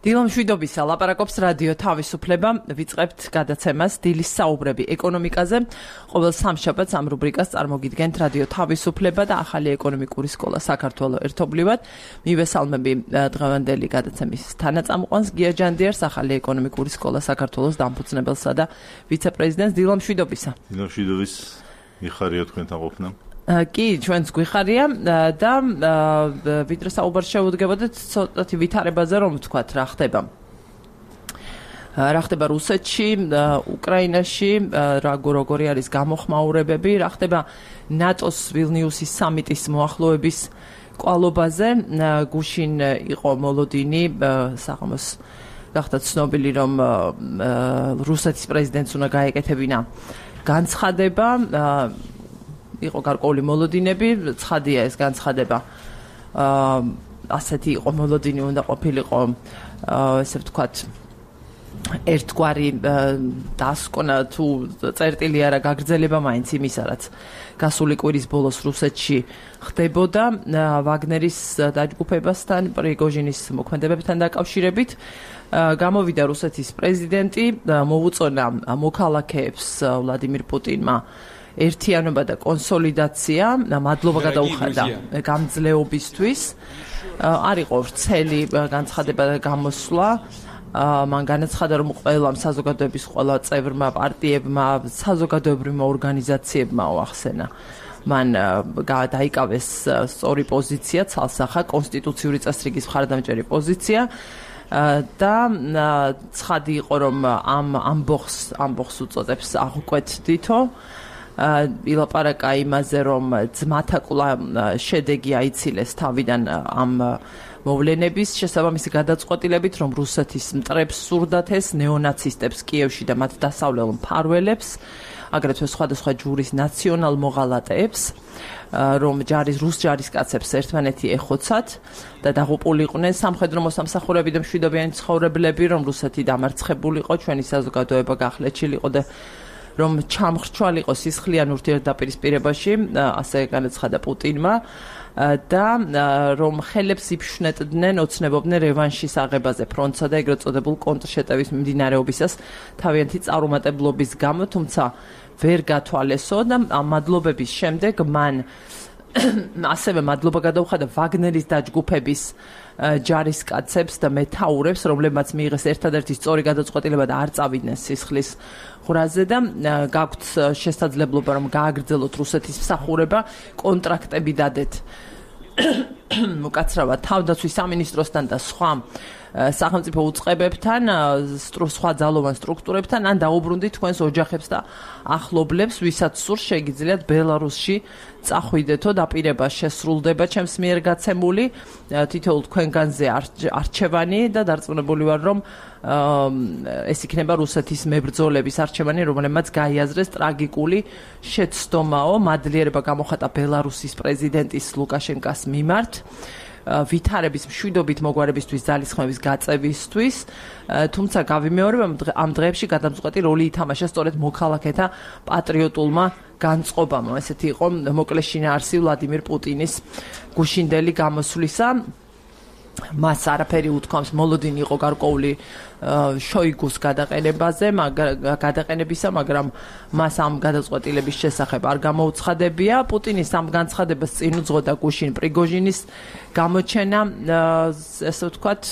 დილო მშვიდობისა, ლაპარაკობს რადიო თავისუფლება, ვიწყებთ გადაცემას დილის საუბრები ეკონომიკაზე. ყოველ სამშაბათს ამ რუბრიკას წარმოგიდგენთ რადიო თავისუფლება და ახალი ეკონომიკური სკოლა საქართველოს ერთობლივად. მივესალმები დღევანდელი გადაცემის თანაწამყვანს გია ჯანდიარს, ახალი ეკონომიკური სკოლა საქართველოს დამფუძნებელსა და ვიცე-პრეზიდენტს. დილო მშვიდობისა. დილო მშვიდობის, მიხარია თქვენთან ყოფნა. კი, ჩვენც გვიხარია და ვიდრე საუბარს შევუდგებოდეთ ცოტათი ვითარებაზე, რომ ვთქვათ, რა ხდება. რა ხდება რუსეთში, უკრაინაში, როგორი არის გამოხმაურებები, რა ხდება ნატოს ვილნიუსის სამიტის მოახლოების კვალობაზე. გუშინ იყო მოლოდინი, საღამოს გახდა ცნობილი, რომ რუსეთის პრეზიდენტს უნდა გაეკეთებინა განცხადება. იყო გარკვეული მოლოდინები, ცხადია ეს განცხადება. ასეთი იყო მოლოდინი, უნდა ყოფილიყო, ესე ვთქვათ, ერთგვარი დასკვნა თუ წერტილი არა გაგრძელება მაინც იმისა, რაც გასული კვირის ბოლოს რუსეთში ხდებოდა ვაგნერის დაჯგუფებასთან, პრიგოჟინის მოქმედებებთან დაკავშირებით. გამოვიდა რუსეთის პრეზიდენტი, მოუწონა მოქალაქეებს ვლადიმირ პუტინმა ერთიანობა და კონსოლიდაცია, მადლობა გადაუხადა გამძლეობისთვის. არ იყო ვრცელი განცხადება და გამოსვლა. მან განაცხადა, რომ ყველა საზოგადოების ყველა წევრმა, პარტიებმა, საზოგადოებრივმა ორგანიზაციებმა უახსენა. მან დაიკავეს სწორი პოზიცია, ცალსახა კონსტიტუციური წესრიგის მხარდამჭერი პოზიცია. და ცხადი იყო, რომ ამ ამბოხს უწოდებს აღკვეთ თითო. ილაპარაკა იმაზე, რომ ძმათა კვლავ შედეგი აიცილეს თავიდან ამ მოვლენების შესაბამისი გადაწყვეტილებით, რომ რუსეთის მტრებს სურდათ ეს ნეონაცისტებს კიევში და მათ დასავლელ მფარველებს, აგრეთვე სხვადასხვა ჯურის ნაციონალ მოღალატეებს, რომ რუს ჯარისკაცებს ერთმანეთი ეხოცათ და დაღუპულიყვნენ სამხედრო მოსამსახურეები და მშვიდობიანი ცხოვრებლები, რომ რუსეთი დამარცხებულიყო, ჩვენი საზოგადოება გახლეჩილიყო და რომ ჩამხრჩვალიყო სისხლიან ურთიერთდაპირისპირებაში, ასე განაცხადა პუტინმა და რომ ხელებს იფშვნეტდნენ, ოცნებობდნენ რევანშის აღებაზე ფრონტსა და ეგრეთ წოდებულ კონტრშეტევის მიმდინარეობისას თავიანთი წარუმატებლობის გამო, თუმცა ვერ გათვალესო და ამ მადლობების შემდეგ მან ასევე მადლობა გადაუხადა ვაგნერის დაჯგუფების ჯარისკაცებს და მეთაურებს, რომლებმაც მიიღეს ერთადერთი სწორი გადაწყვეტილება და არ წავიდნენ სისხლის ღრაზე და გაქვთ შესაძლებლობა, რომ გააგრძელოთ რუსეთის მსახურება, კონტრაქტები დადეთ უკაცრავად თავდაცვის სამინისტროსთან და სხვა სახელმწიფო უწყებებთან, სხვა ძალოვან სტრუქტურებთან, ან დაუბრუნდით თქვენს ოჯახებს და ახლობლებს, ვისაც სურს შეგიძლიათ ბელარუსში წახვიდეთო, დაპირება შესრულდება ჩემს მიერ გაცემული თითოეულ თქვენგანზე არჩევანი და დარწმუნებული ვარ, რომ ეს იქნება რუსეთის მებრძოლების არჩევანი, რომლებმაც გაიაზრეს ტრაგიკული შეცდომაო მადლიერება გამოხატა ბელარუსის პრეზიდენტის ლუკაშენკას მიმართ ვითარების მშვიდობით მოგვარებისთვის ძალისხმევის გაწევისთვის, თუმცა გავიმეორებ, ამ დღეებში გადამწყვეტი როლი ითამაშა სწორედ მოქალაქეთა პატრიოტულმა განწყობამ. ესეთი იყო მოკლე შინაარსი ვლადიმირ პუტინის გუშინდელი გამოსვლისა. მას არაფერი უთქვამს, მოლოდინი იყო გარკვეული შოიგუს გადაყენებისა, მაგრამ მას ამ გადაწყვეტილების შესახებ არ გამოუცხადებია. პუტინის ამ განცხადებას წინ უძღოდა გუშინ პრიგოჟინის გამოჩენა, ესე ვთქვათ,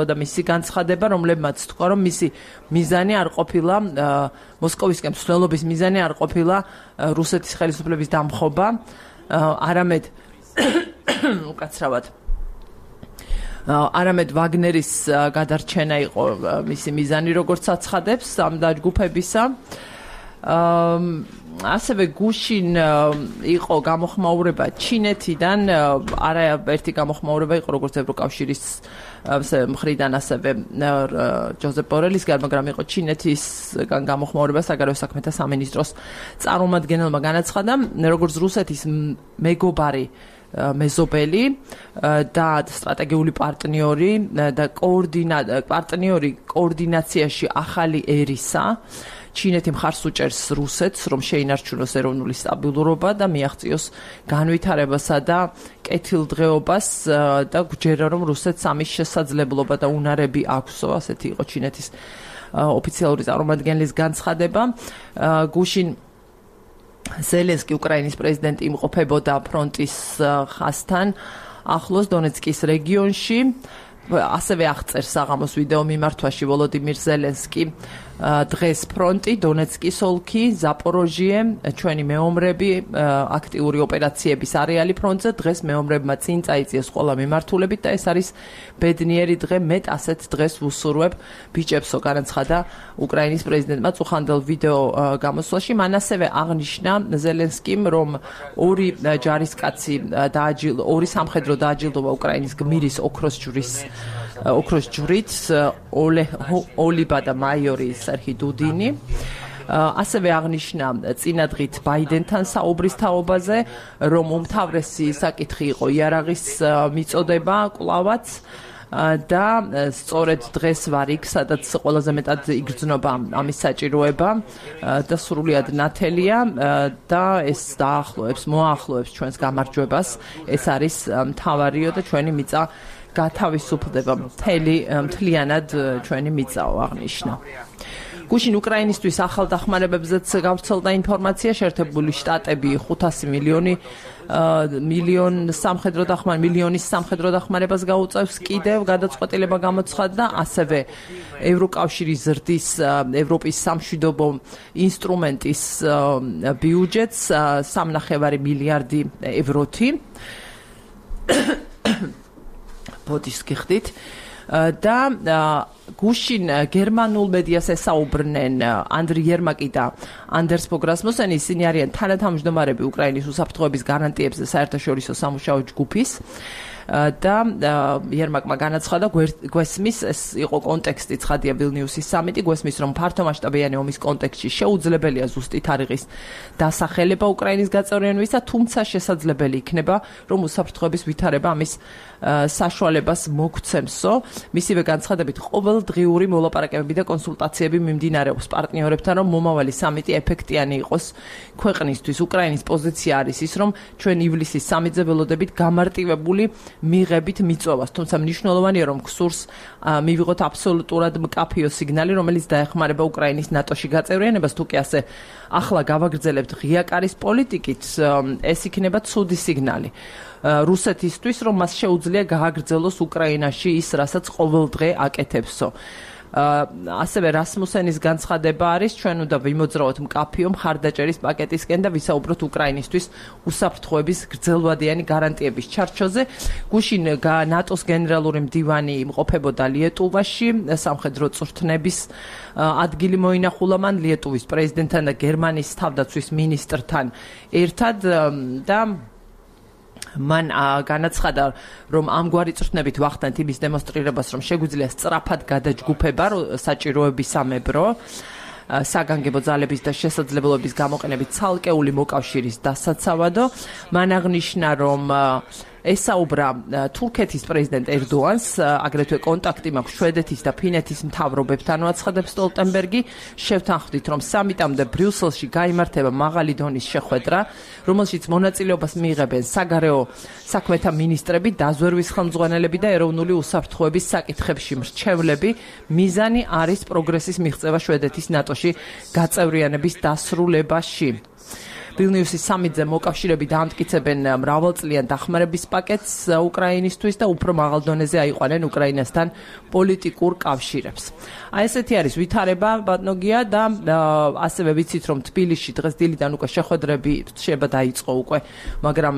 და მისი განცხადება, რომლებმაც თქვა, რომ მისი მიზანი არ ყოფილა მოსკოვისკენ მსვლელობის მიზანი არ ყოფილა რუსეთის ხელისუფლების დამხობა, არამედ უკაცრავად არამედ ვაგნერის გადარჩენა იყო მისი მიზანი, როგორც აცხადებს ამ დაჯგუფებისა. ასევე გუშინ იყო გამოხმაურება ჩინეთიდან, არაერთი გამოხმაურება იყო როგორც ევროკავშირის მხრიდან, ასევე ჯოზეპ ბორელისგან, მაგრამ იყო ჩინეთისგან გამოხმაურება საგარეო საქმეთა სამინისტროს წარმომადგენელმა განაცხადა, როგორც რუსეთის მეგობარი მეზობელი და სტრატეგიული პარტნიორი და პარტნიორი კოორდინაციაში ახალი ერისა ჩინეთი მხარს უჭერს რუსეთს, რომ შეინარჩუნოს ეროვნული სტაბილურობა და მიაღწიოს განვითარებასა და კეთილდღეობას და გვჯერა, რომ რუსეთს ამის შესაძლებლობა და უნარები აქვსო, ასეთი იყო ჩინეთის ოფიციალური წარმომადგენლის განცხადება. გუშინ ზელენსკი უკრაინის პრეზიდენტი იმყოფებოდა ფრონტის ხაზთან ახლოს დონეცკის რეგიონში. ასევე აღწერს საღამოს ვიდეო მიმართვაში ვოლოდიმირ ზელენსკი დღეს ფრონტი, დონეცკის ოლქი, ზაპოროჟიე, ჩვენი მეომრები, აქტიური ოპერაციების არეალი ფრონტზე, დღეს მეომრებმა წინ წაიწიეს ყველა მიმართულებით და ეს არის ბედნიერი დღე, მეტ ასეთ დღეს ვუსურვებ ბიჭებსო, განაცხადა უკრაინის პრეზიდენტმა წუხანდელ ვიდეო გამოსვლაში. მან ასევე აღნიშნა ზელენსკიმ, რომ ორი სამხედრო დააჯილდოვა უკრაინის გმირის ოქროს ჯვრით ოლიბა და მაიორი სერჰი დუდინი. ასევე აღნიშნა წინადღით ბაიდენთან საუბრის თაობაზე, რომ უმთავრესი საკითხი იყო იარაღის მიწოდება კვლავაც და სწორედ დღეს ვარ იქ, სადაც ყველაზე მეტად იგრძნობა ამის საჭიროება და სრულიად ნათელია და ეს მოახლოებს ჩვენს გამარჯვებას. ეს არის მთავარიო და ჩვენი მიწა გათავისუფლდება, მთლიანად ჩვენი მიწაო, აღნიშნა. გუშინ უკრაინისთვის ახალ დახმარებებზეც გავრცელდა ინფორმაცია. შეერთებული შტატები 500 მილიონის სამხედრო დახმარებას გაუწევს კიდევ, გადაწყვეტილება გამოცხადდა. ასევე ევროკავშირი ზრდის ევროპის სამშვიდობო ინსტრუმენტის ბიუჯეტს 3.5 მილიარდი ევროთი. ბოდიშს გიხდით და გუშინ გერმანულ მედიას ესაუბრნენ ანდრი იერმაკი და ანდერს ფო გრასმუსენი. ისინი არიან თანათავმჯდომარები უკრაინის უსაფრთხოების გარანტიებზე საერთაშორისო სამუშაო ჯგუფის და იერმაკმა განაცხადა, გვესმის, ეს იყო კონტექსტი, ცხადია ვილნიუსის სამიტი, გვესმის, რომ ფართომასშტაბიანი ომის კონტექსტში შეუძლებელია ზუსტი თარიღის დასახელება უკრაინის გაწევრიანებისა, თუმცა შესაძლებელი იქნება, რომ უსაფრთხოების ვითარება ამის საშუალებას მოგცემსო. მისივე განცხადებით, ყოველდღიური მოლაპარაკებები და კონსულტაციები მიმდინარეობს პარტნიორებთან, რომ მომავალი სამიტი ეფექტიანი იყოს ქვეყნისთვის. უკრაინის პოზიცია არის ის, რომ ჩვენ ივლისის სამიტზე ველოდებით გამარტივებული მიღებით მიწვევას, თუმცა მნიშვნელოვანია, რომ გსურს მივიღოთ აბსოლუტურად მკაფიო სიგნალი, რომელიც დაეხმარება უკრაინის ნატოში გაწევრიანებას. თუ კი ასე ახლა გავაგრძელებთ ღია კარის პოლიტიკით, ეს იქნება ცუდი სიგნალი რუსეთისთვის, რომ მას შეუძლია გააგრძელოს უკრაინაში ის, რასაც ყოველდღე აკეთებსო. ასევე რასმუსენის განცხადება არის, ჩვენ უნდა ვიმოძრაოთ მკაფიო მხარდაჭერის პაკეტისკენ და ვისაუბროთ უკრაინისთვის უსაფრთხოების გრძელვადიანი გარანტიების ჩარჩოზე. გუშინ ნატოს გენერალური მდივანი იმყოფებოდა ლიეტუვაში, სამხედრო წვრთნების ადგილი მოინახულა მან ლიეტუვის პრეზიდენტთან და გერმანიის თავდაცვის მინისტრთან ერთად და მან განაცხადა, რომ ამგვარი წვრთნებით ვახდანთ იმის დემონსტრირებას, რომ შეგვიძლია სწრაფად გადაჯგუფება საჭიროებისამებრო საგანგებო ძალების და შესაძლებლობების გამოყენებით ცალკეული მოკავშირის დასაცავადო. მან აღნიშნა, რომ ესაუბრა თურქეთის პრეზიდენტ ერდოანს, აგრეთვე კონტაქტი მაქვს შვედეთის და ფინეთის მთავრობებთან, აცხადებს სტოლტენბერგი. შევთანხმდით, რომ სამიტამდე ბრიუსელში გაიმართება მაღალი დონის შეხვედრა, რომელშიც მონაწილეობას მიიღებენ საგარეო საქმეთა მინისტრები, დაზვერვის ხელმძღვანელები და ეროვნული უსაფრთხოების საკითხებში მრჩევლები. მიზანი არის პროგრესის მიღწევა შვედეთის ნატოში გაწევრიანების დასრულებაში. ვილნიუსის სამიტზე მოკავშირეები დაამტკიცებენ მრავალწლიან დახმარების პაკეტს უკრაინისთვის და უფრო მაღალ დონეზე აიყვანენ უკრაინასთან პოლიტიკურ კავშირებს. ესეთი არის ვითარება ბატონოგია და ასევე ვიცით, რომ თბილისში დღეს დილიდან უკვე შეხვედრები შეიძლება დაიწყო უკვე, მაგრამ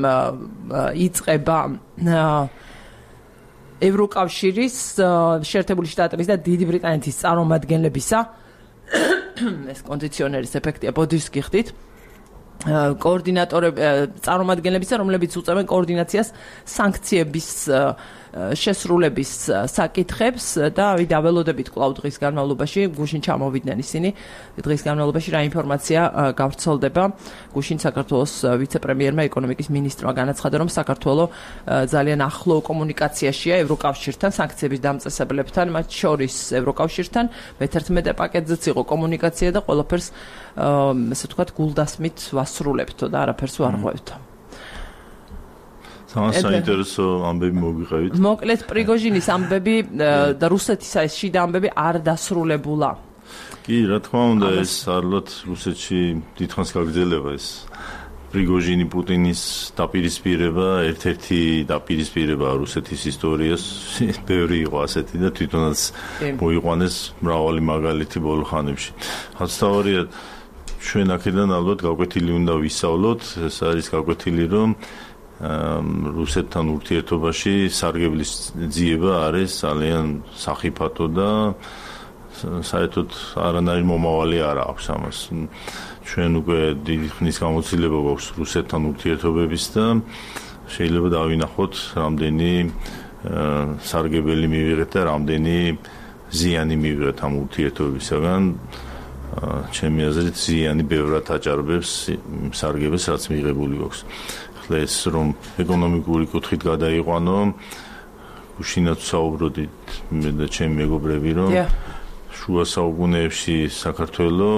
იწყება ევროკავშირის, შეერთებული შტატების და დიდი ბრიტანეთის წარმომადგენლებისა ეს კონდიციონერის ეფექტია, ბოდიშს გიხდით. წარმომადგენლებისა, რომლებიც უწევენ კოორდინაციას სანქციების შესრულების საკითხებს და დაველოდებით კვლავ დღის განმავლობაში გუშინ ჩამოვიდნენ ისინი. დღის განმავლობაში რა ინფორმაცია გავრცელდება? გუშინ საქართველოს ვიცე-პრემიერმა ეკონომიკის მინისტრმა განაცხადა, რომ საქართველო ძალიან ახლო კომუნიკაციაშია ევროკავშირთან, სანქციების დამწესებლებთან, მათ შორის ევროკავშირთან, მე-11 პაკეტზეც იყო კომუნიკაცია და ყველაფერს ესე ვთქვათ გულდასმით ვასრულებთო და არაფერს ვარ ღვევთო. საინტერესო ამბები მოგიყევით. მოკლედ პრიგოჟინის ამბები და რუსეთის ეს შიდა ამბები არ დასრულებულა. კი, რა თქმა უნდა, ეს არლოთ რუსეთში დიდხანს გაგრძელება ეს პრიგოჟინი პუტინის დაპირისპირება, ერთ-ერთი დაპირისპირება რუსეთის ისტორიას, ბევრი იყო ასეთი და თვითონაც მოიყვანეს მრავალი მაგალითი ბოლო ხანებში. հաստավորია ჩვენ აქედან ალბათ გაკვეთილი უნდა ვისწავლოთ, ეს არის გაკვეთილი, რომ რუსეთთან ურთიერთობაში სარგებლის ძიება არის ძალიან სახიფათო და საერთოდ არანაირი მომავალი არ აქვს ამას. ჩვენ უკვე დიდი ხნის გამოცდილება გვაქვს რუსეთთან ურთიერთობების და შეიძლება დავინახოთ რამდენი სარგებელი მივიღეთ და რამდენი ზიანი მივიღეთ ამ ურთიერთობებისაგან. ჩემი აზრით ზიანი ბევრად აჭარბებს სარგებელს რაც მიღებული გვაქვს. ახლა ეს რომ ეკონომიკური კუთხით გადაიყვანო, გუშინაც საუბრობდით მე და ჩემი მეგობრები რომ შუა საუკუნეებში საქართველო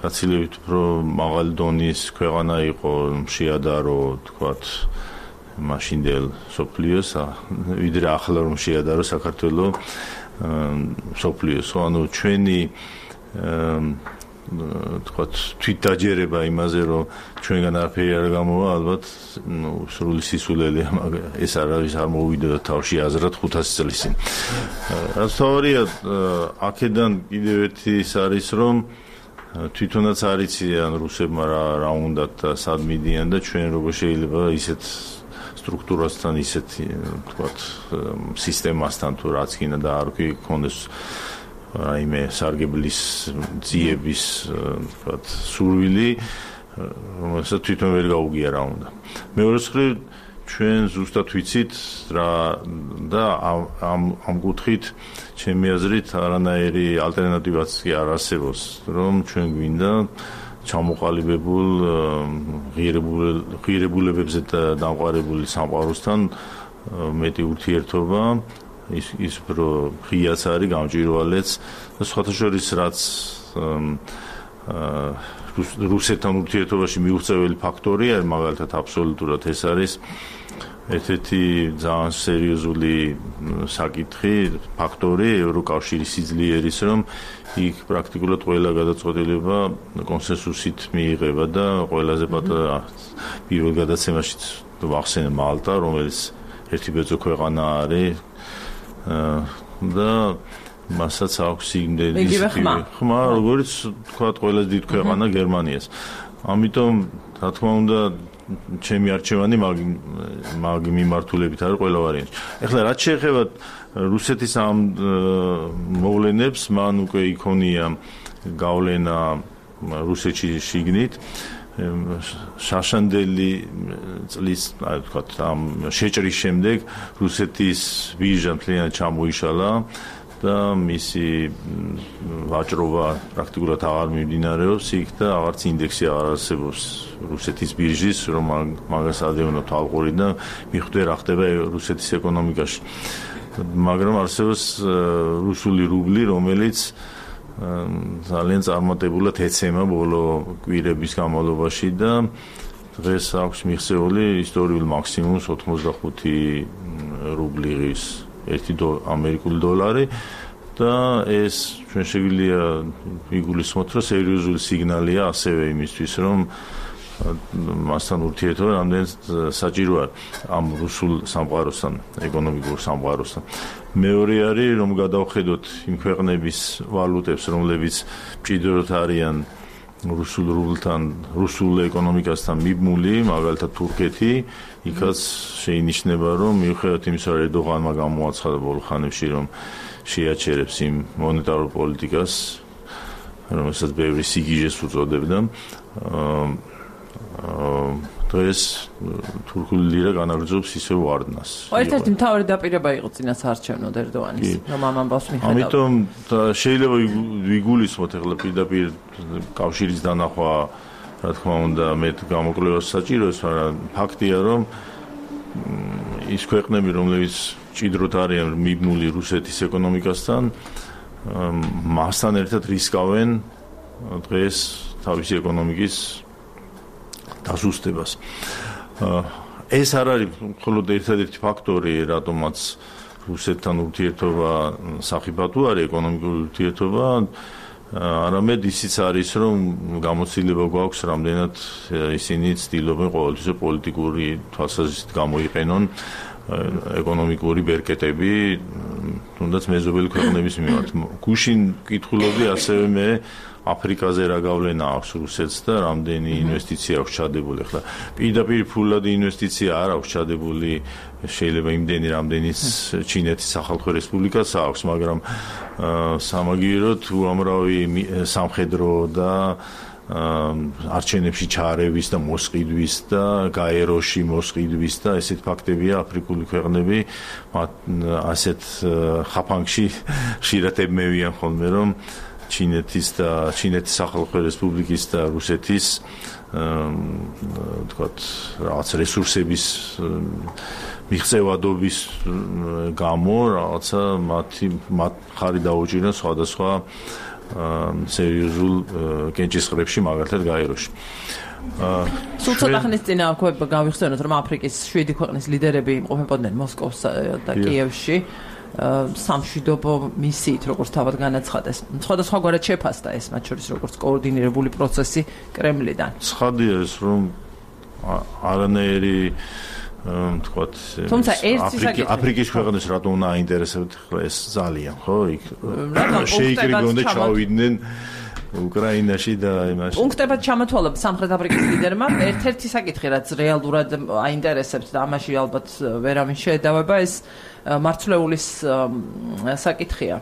გაცილებით უფრო მაღალი დონის ქვეყანა იყო, შეადარო, თქვათ, მაშინდელ სოფლიოს, ვიდრე ახლა რომ შეადარო საქართველო სოფლიოს. ანუ ჩვენი თქვათ თვითდაჯერება იმაზე რომ ჩვენგან არაფერი არ გამოვა, ალბათ სრული სისულელია, მაგრამ ეს არავის არ მოვიდოდა თავში აზრად 500 წლის წინ. სწორია, აქედან კიდევ ერთი ის არის რომ თვითონაც არ იციან რუსებმა რა უნდათ და სად მიდიან და ჩვენ როგორ შეიძლება ისეთ სტრუქტურასთან, ისეთ თქვათ სისტემასთან თუ რაც კიდე და არ გქონდეს რაიმე სარგებლის ძიების თქვათ სურვილი, რომელსაც თვითონ ვერ გაუგია რა უნდა. მეორე მხრივ ჩვენ ზუსტად ვიცით რა და ამ კუთხით ჩემი აზრით არანაირი ალტერნატივაც კი არ არსებობს, რომ ჩვენ გვინდა ჩამოყალიბებულ ღირებულებებზე დამყარებული სამყაროსთან მეტი ურთიერთობა, ის უფრო ღიაც არის, გამჭვირვალეც და სხვათა შორის რაც რუსეთთან ურთიერთობაში მიუღწეველი ფაქტორია, მაგალითად აბსოლუტურად ეს არის ერთ-ერთი ძალიან სერიოზული საკითხი, ფაქტორი ევროკავშირის სიძლიერის, რომ იქ პრაქტიკულად ყველა გადაწყვეტილება კონსენსუსით მიიღება და ყველაზე პატარა პირველ გადაცემაში ვახსენე მალტა, რომელიც ერთი ბეწო ქვეყანა არის და მასაც აქვს იმდენი ხმა, როგორც თქვათ ყველაზე დიდ ქვეყანა გერმანიას. ამიტომ რა თქმა უნდა ჩემი არჩევანი მაგ მიმართულებით არის ყველა ვარიანტი. ეხლა რაც შეეხება რუსეთის ამ მოვლენებს, მან უკვე იქონია გავლენა რუსეთში შიგნით. შაშანდელი წლის, აი ვთქვათ, ამ შეჭრის შემდეგ რუსეთის ბირჟა მთლიანად ჩამოიშალა და მისი ვაჭრობა პრაქტიკულად აღარ მიმდინარეობს იქ და აღარც ინდექსი აღარ არსებობს რუსეთის ბირჟის, რომ მაგას ადევნოთ ალყური და მიხვდე რა ხდება რუსეთის ეკონომიკაში. მაგრამ არსებობს რუსული რუბლი, რომელიც ძალიან წარმატებულად ეცემა ბოლო კვირების განმავლობაში და დღეს აქვს მიღწეული ისტორიული მაქსიმუმს 85 რუბლიღის 1 ამერიკული დოლარი და ეს ჩვენ შეგვიძლია ვიგულისხმოთ, რომ სერიოზული სიგნალია ასევე იმისთვის, რომ მასთან ურთიერთობა რამდენიც საჭიროა ამ რუსულ სამყაროსთან, ეკონომიკურ სამყაროსთან. მეორე არის, რომ გადავხედოთ იმ ქვეყნების ვალუტებს, რომლებიც მჭიდროდ არიან რუსულ რუბლთან, რუსულ ეკონომიკასთან მიბმული, მაგალითად თურქეთი, იქაც შეინიშნება, რომ მიუხედავად იმისა, რომ ერდოღანმა გამოაცხადა ბოლო ხანებში, რომ შეაჩერებს იმ მონეტარულ პოლიტიკას, რომელსაც ბევრი სიგიჟეს უწოდებდა, დღეს თურქული ლირა განაგრძობს ისევ ვარდნას. ერთ-ერთი მთავარი დაპირება იყო წინა საარჩევნოდ ერდოანის, რომ ამ ამბავს მიხედავდა. ამიტომ შეიძლება ვიგულისხმოთ ახლა პირდაპირ კავშირის დანახვა, რა თქმა უნდა, მეტ გამოკვლევას საჭიროებს, მაგრამ ფაქტია, რომ ის ქვეყნები, რომლებიც ჭიდროდ არიან მიბნული რუსეთის ეკონომიკასთან, მასთან ერთად რისკავენ დღეს თავისი ეკონომიკის დასუსტებას. ეს არ არის მხოლოდ ერთადერთი ფაქტორი, რატომაც რუსეთთან ურთიერთობა სახიფათო არის ეკონომიკური ურთიერთობა, არამედ ისიც არის, რომ გამოცდილება გვაქვს, რამდენად ისინი ცდილობენ ყოველთვის პოლიტიკური თვალსაზრისით გამოიყენონ ეკონომიკური ბერკეტები, თუნდაც მეზობელი ქვეყნების მიმართ. გუშინ კითხულობდი ასევე მე აფრიკაზე რა გავლენა აქვს რუსეთს და რამდენი ინვესტიცია აქვს ჩადებული. ახლა პირდაპირ ფულადი ინვესტიცია არ აქვს ჩადებული, შეიძლება იმდენი, რამდენიც ჩინეთის სახალხო რესპუბლიკას აქვს, მაგრამ სამაგიეროდ უამრავი სამხედრო და არჩევნებში ჩარევის და მოსყიდვის და გაეროში მოსყიდვის და ესეთ ფაქტებია აფრიკული ქვეყნები ასეთ ხაფანგში ხშირად ებმევიან ხოლმე, რომ ჩინეთის სახალხო რესპუბლიკის და რუსეთის თქვათ რაღაც რესურსების მიღწევადობის გამო რაღაცა მათ ხარი დაუჭირენ სხვადასხვა სერიოზულ კენჭისყრებში, მაგალითად გაეროში. სულ ცოტა ხნის წინ გავიხსენოთ, რომ აფრიკის 7 ქვეყნის ლიდერები იმყოფებოდნენ მოსკოვსა და კიევში სამშვიდობო მისიით, როგორც თავად განაცხადეს. სხვადასხვაგვარად შეფასდა ეს, მათ შორის როგორც კოორდინირებული პროცესი კრემლიდან. ცხადია ეს, რომ არანაირი თქვათ აფრიკის ქვეყნებს რატომ უნდა აინტერესებდეთ ეს ძალიან, ხო? იქ შეიკრიბონ და ჩავიდნენ უკრაინაში და იმაში. პუნქტებად ჩამოთვალა სამხრეთ აფრიკის ლიდერმა ერთ-ერთი საკითხი, რაც რეალურად აინტერესებთ და ამაში ალბათ ვერავინ შეედავება, ეს მარცვლეულის საკითხია,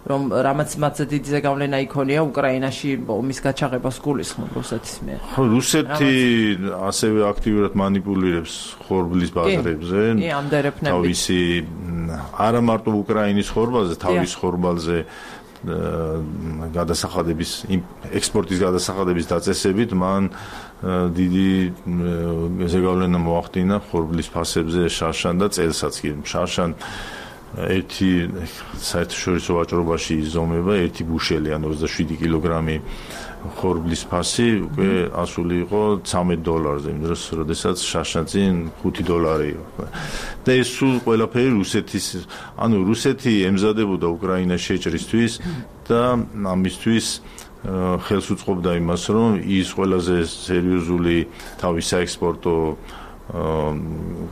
რომ რამაც მათზე დიდი ზეგავლენა იქონია უკრაინაში ომის გაჩაღებას გულისხმობ რუსეთის მიერ. რუსეთი ასევე აქტიურად მანიპულირებს ხორბლის ბაზრებზე, თავისი არა მარტო უკრაინის ხორბალზე, თავის ხორბალზე გადასახადების ექსპორტის გადასახადების დაწესებით მან დიდი ზეგავლენა მოახდინა ხორბლის ფასებზე შარშან და წელსაც კი შარშან ერთი საერთაშორისო ვაჭრობაში იზომება ერთი ბუშელი ან 27 კილოგრამი ხორბლის ფასი უკვე ასული იყო $13 იმ დროს, როდესაც შარშანწინ $5 იყო. და ეს სულ ყველაფერი რუსეთის, ანუ რუსეთი ემზადებოდა უკრაინას შეჭრისთვის და ამისთვის ხელს უწყობდა იმას, რომ ის ყველაზე სერიოზული თავის საექსპორტო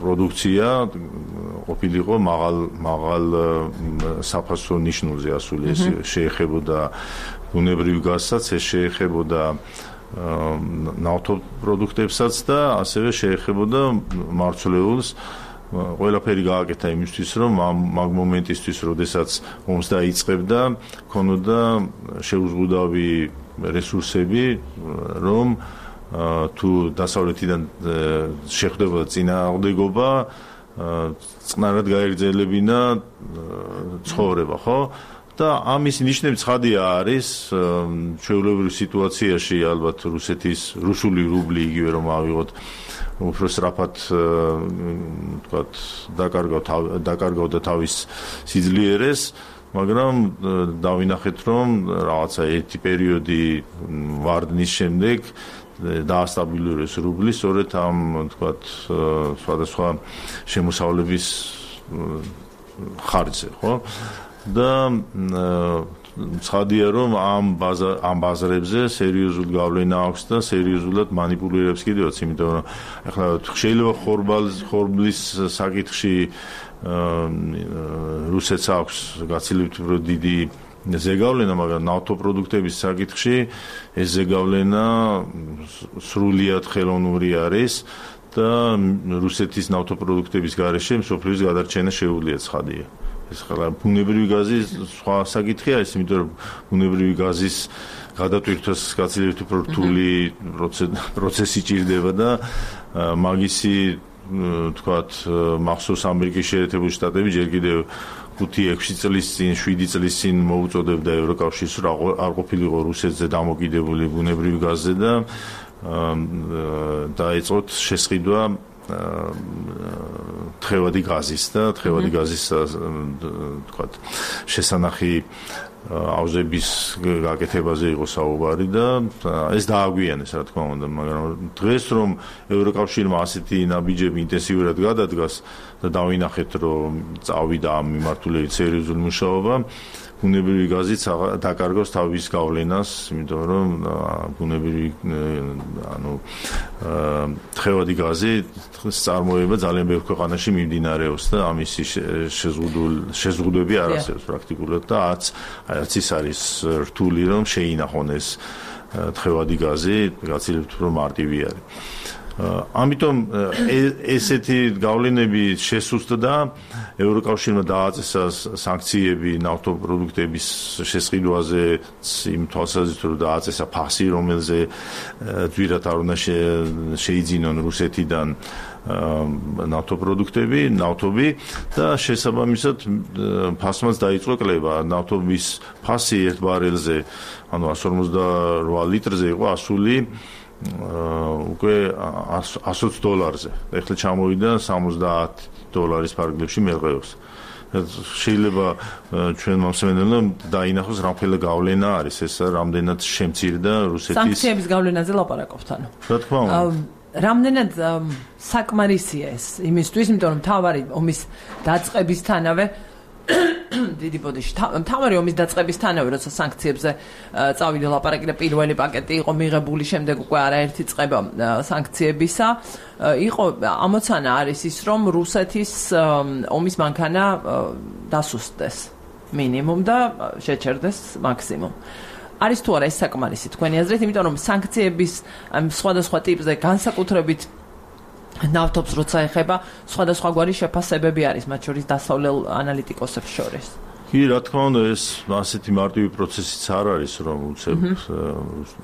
პროდუქცია ყოფილიყო მაღალ საფასო ნიშნულზე ასული, ეს შეეხებოდა ბუნებრივ გაზსაც, ეს შეეხებოდა ნავთობპროდუქტებსაც და ასევე შეეხებოდა მარცვლეულს. ყველაფერი გააკეთა იმისთვის, რომ მაგ მომენტისთვის, როდესაც ომს დაიწყებდა, ქონოდა შეუზღუდავი რესურსები, რომ თუ დასავლეთიდან შეხვდებოდა წინააღმდეგობა, წყნარად გაეგრძელებინა ცხოვრება, ხო? და ამის ნიშნები ცხადია არის, ჩვეულებრივ სიტუაციაში ალბათ რუსული რუბლი იგივე რომ ავიღოთ, უფრო სწრაფად თქვათ დაკარგავდა თავის სიძლიერეს, მაგრამ დავინახეთ, რომ რაღაცა ერთი პერიოდი ვარდნის შემდეგ დაასტაბილურეს რუბლი, სწორედ ამ თქვათ სხვადასხვა შემოსავლების ხარჯზე, ხო? და ცხადია, რომ ამ ბაზრებზე სერიოზულ გავლენა აქვს და სერიოზულად მანიპულირებს კიდევაც, იმიტომ რომ ახლა შეიძლება ხორბლის საკითხში რუსეთს აქვს გაცილებით უფრო დიდი ზეგავლენა, მაგრამ ნავთობპროდუქტების საკითხში ეს ზეგავლენა სრულიად ხელოვნური არის და რუსეთის ნავთობპროდუქტების გარეშე მსოფლიოს გადარჩენა შეუძლია, ცხადია. ეს ხლა ბუნებრივი გაზი სხვა საკითხია ის, იმიტომ რომ ბუნებრივი გაზის გადატვირთვას გაცილებით უფრო რთული პროცესი ჭირდება და მაგისი თქვათ მახსოვს ამერიკის შეერთებული შტატები ჯერ კიდევ 5-6 წლის წინ 7 წლის წინ მოუწოდებდა ევროკავშირს რომ არ ყოფილიყო რუსეთზე დამოკიდებული ბუნებრივი გაზზე და დაიწყოთ შესყიდვა თხევადი გაზის და თხევადი გაზის თქვათ შესანახი აუზების გაკეთებაზე იყო საუბარი და ეს დააგვიანეს რა თქმა უნდა, მაგრამ დღეს რომ ევროკავშირმა ასეთი ნაბიჯები ინტენსიურად გადადგას და დავინახეთ რომ წავიდა ამ მიმართულებით სერიოზული მუშაობა, ბუნებრივი გაზიც დაკარგავს თავის გავლენას, იმიტომ რომ ბუნებრივი თხევადი გაზი წარმოება ძალიან ბევრ ქვეყანაში მიმდინარეობს და ამისი შეზღუდვები არ არსებობს პრაქტიკულად და არც ის არის რთული რომ შეინახონ ეს თხევადი გაზი, გაცილებით უფრო მარტივი არის. ამიტომ ესეთი გავლენები შესუსტდა ევროკავშირმა დააწესა სანქციები ნავთობპროდუქტების შესყიდვაზე იმ თვალსაზრისით რომ დააწესა ფასი რომელზე ძვირად არ უნდა შეიძინონ რუსეთიდან ნავთობი და შესაბამისად ფასმაც დაიწყო კლება ნავთობის ფასი ერთ ბარელზე ანუ 158 litrზე იყო ასული უკვე $100-ზე. ეხლა ჩამოვიდა $70 ფარგლებში მერყეობს. შეიძლება ჩვენ მომსმენელმა დაინახოს რამხელა გავლენა არის ეს რამდენად შემცირდა რუსეთის სანქციების გავლენაზე ლაპარაკობთ ანუ. რა თქმა უნდა. რამდენად საკმარისია ეს იმისთვის, იმიტომ რომ თავარი ომის დაწყებისთანავე დიდი ბოდიში თავარი ომის დაწყებისთანავე როცა სანქციებზე წავიდა ლაპარაკი და პირველი პაკეტი იყო მიღებული, შემდეგ უკვე არაერთი წება სანქციებისა, იყო ამოცანა არის ის რომ რუსეთის ომის მანქანა დასუსტდეს მინიმუმ და შეჩერდეს მაქსიმუმ. არის თუ არა ეს საკმარისი თქვენი აზრით, იმიტომ რომ სანქციების სხვადასხვა ტიპზე განსაკუთრებით ნავთობს როცა ეხება სხვადასხვაგვარი შეფასებები არის მათ შორის დასავლელ ანალიტიკოსებს შორის. კი, რა თქმა უნდა, ეს ასეთი მარტივი პროცესიც არ არის, რომ უცებ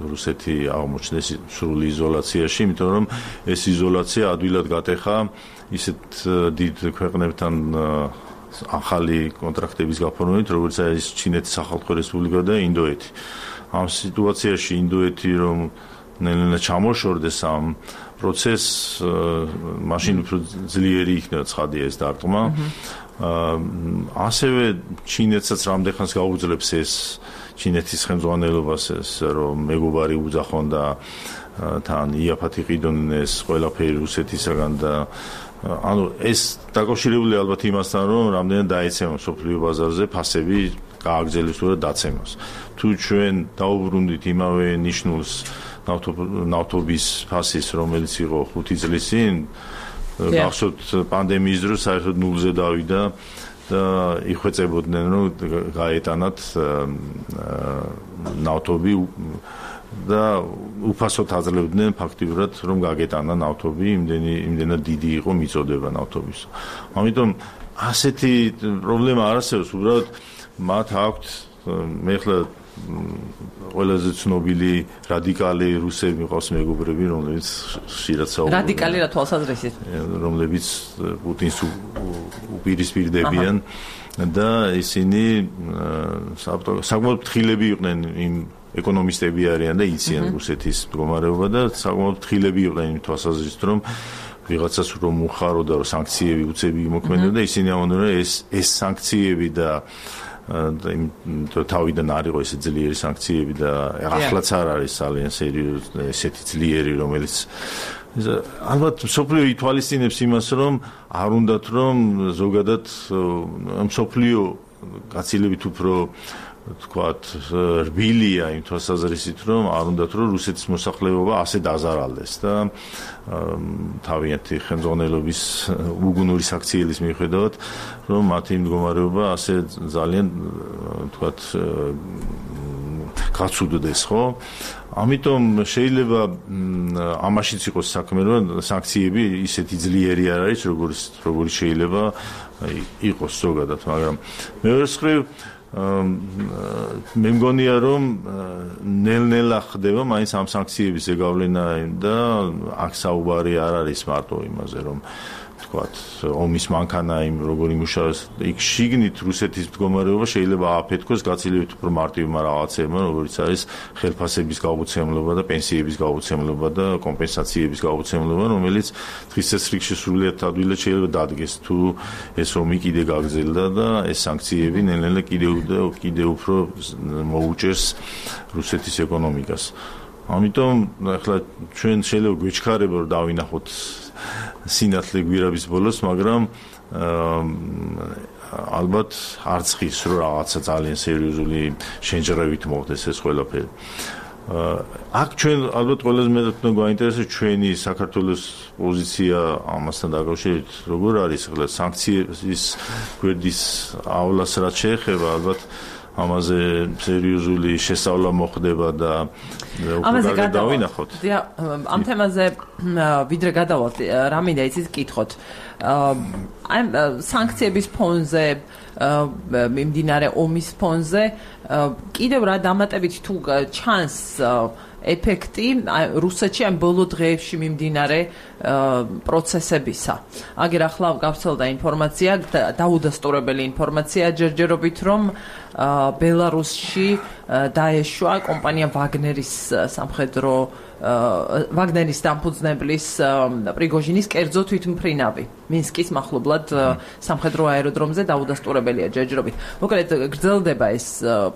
რუსეთი აღმოჩნდეს სრული იზოლაციაში, იმიტომ რომ ეს იზოლაცია ადვილად გატეხა ისეთ დიდ ქვეყნებთან ახალი კონტრაქტების გაფორმებით, როგორც არის ჩინეთის სახალხო რესპუბლიკა და ინდოეთი. ამ სიტუაციაში ინდოეთი რომ ნელ-ნელა ჩამოშორდეს ამ პროცესს, მაშინ უფრო ძლიერი იქნება ცხადია ეს დარტყმა. ასევე ჩინეთსაც რამდენხანს გაუძლებს ეს ჩინეთის ხელმძღვანელობას ეს რომ მეგობარი უძახონ და თან იაფად იყიდონ ეს ყველაფერი რუსეთისაგან და ანუ ეს დაკავშირებული ალბათ იმასთან რომ რამდენად დაეცემა სოფლიო ბაზარზე ფასები გააგრძელოს თუ დაცემას. თუ ჩვენ დაუბრუნდით იმავე ნიშნულს ნავთობის ფასის რომელიც იყო 5 წლის წინ გახსოვთ პანდემიის დროს საერთოდ ნულზე დავიდა და იხვეწებოდნენ რომ გაეტანათ ნავთობი და უფასოდ აძლევდნენ ფაქტიურად რომ გაგეტანა ნავთობი, იმდენად დიდი იყო მიწოდება ნავთობის. ამიტომ ასეთი პრობლემა არ არსებობს, უბრალოდ მათ აქვთ მე ხლა ყველაზე ცნობილი რადიკალი რუსები მიყავს მეგობრები, რომლებიც ხშირად საუბრობენ. რადიკალი რა თვალსაზრისით? რომლებიც პუტინს უპირისპირდებიან და ისინი საკმაოდ ფრთხილები იყვნენ იმ ეკონომისტები არიან და იციან რუსეთის მდგომარეობა და საკმაოდ ფრთხილები იყვნენ იმ თვალსაზრისით, რომ ვიღაცას რომ უხაროდა, რომ სანქციები უცები იმოქმედებდა, ისინი ამბობდნენ, რომ ეს სანქციები და თავიდან არ იყო ესე ძლიერი სანქციები და ახლაც არ არის ძალიან სერიოზული ესეთი ძლიერი, რომელიც ალბათ სოფლიო ითვალისწინებს იმას, რომ არ უნდათ რომ ზოგადად სოფლიო გაცილებით უფრო თქვათ რბილია იმ თვალსაზრისით, რომ არ უნდათ რომ რუსეთის მოსახლეობა ასე დაზარალდეს და თავიანთი ხელმძღვანელობის უგუნური საქციელის მიუხედავად, რომ მათი მდგომარეობა ასე ძალიან თქვათ გაცუდდეს, ხო? ამიტომ შეიძლება ამაშიც იყოს საქმე, რომ სანქციები ისეთი ძლიერი არ არის, როგორიც შეიძლება იყოს ზოგადად, მაგრამ მეორე მხრივ მე მგონია რომ ნელ-ნელა ხდება მაინც ამ სანქციების ზეგავლენა და აქ საუბარი არ არის მარტო იმაზე რომ თქვათ ომის მანქანა იმ როგორ იმუშავებს იქ შიგნით რუსეთის მდგომარეობა შეიძლება ააფეთქოს გაცილებით უფრო მარტივმა რაღაცებმა როგორც არის ხელფასების გაუცემლობა და პენსიების გაუცემლობა და კომპენსაციების გაუცემლობა რომელიც დღის წესრიგში სრულიად ადვილად შეიძლება დადგეს თუ ეს ომი კიდე გაგრძელდა და ეს სანქციები ნელ-ნელა კიდევ უფრო მოუჭერს რუსეთის ეკონომიკას ამიტომ ახლა ჩვენ შეიძლება გვეჩქარება რომ დავინახოთ სინათლე გვირაბის ბოლოს, მაგრამ ალბათ არც ხის რომ რაღაცა ძალიან სერიოზული შენჯერებით მოხდეს ეს ყველაფერი. აქ ჩვენ ალბათ ყველაზე მეტად გვაინტერესებს ჩვენი საქართველოს პოზიცია ამასთან დაკავშირებით, როგორ არის ახლა სანქციის გვერდის ავლას რაც შეეხება, ალბათ ამაზე სერიოზული შესწავლა მოხდება და ამაზე გადავინახოთ. ამ თემაზე ვიდრე გადავალთ, რა მინდა იცით კითხოთ. აი სანქციების ფონზე მიმდინარე ომის ფონზე კიდევ რა დამატებით თუ ჩანს ეფექტი რუსეთში ამ ბოლო დღეებში მიმდინარე პროცესებისა. აგერ ახლა გავცელდა ინფორმაცია, დაუდასტურებელი ინფორმაცია ჯერჯერობით, რომ ბელარუსში დაეშვა კომპანია ვაგნერის სამხედრო ვაგნერის დამფუძნებლის პრიგოჟინის კერძო თვითმფრინავი. მინსკის მახლობლად სამხედრო აეროდრომზე დაუდასტურებელია ჯერჯერობით. მოკლედ გრძელდება ეს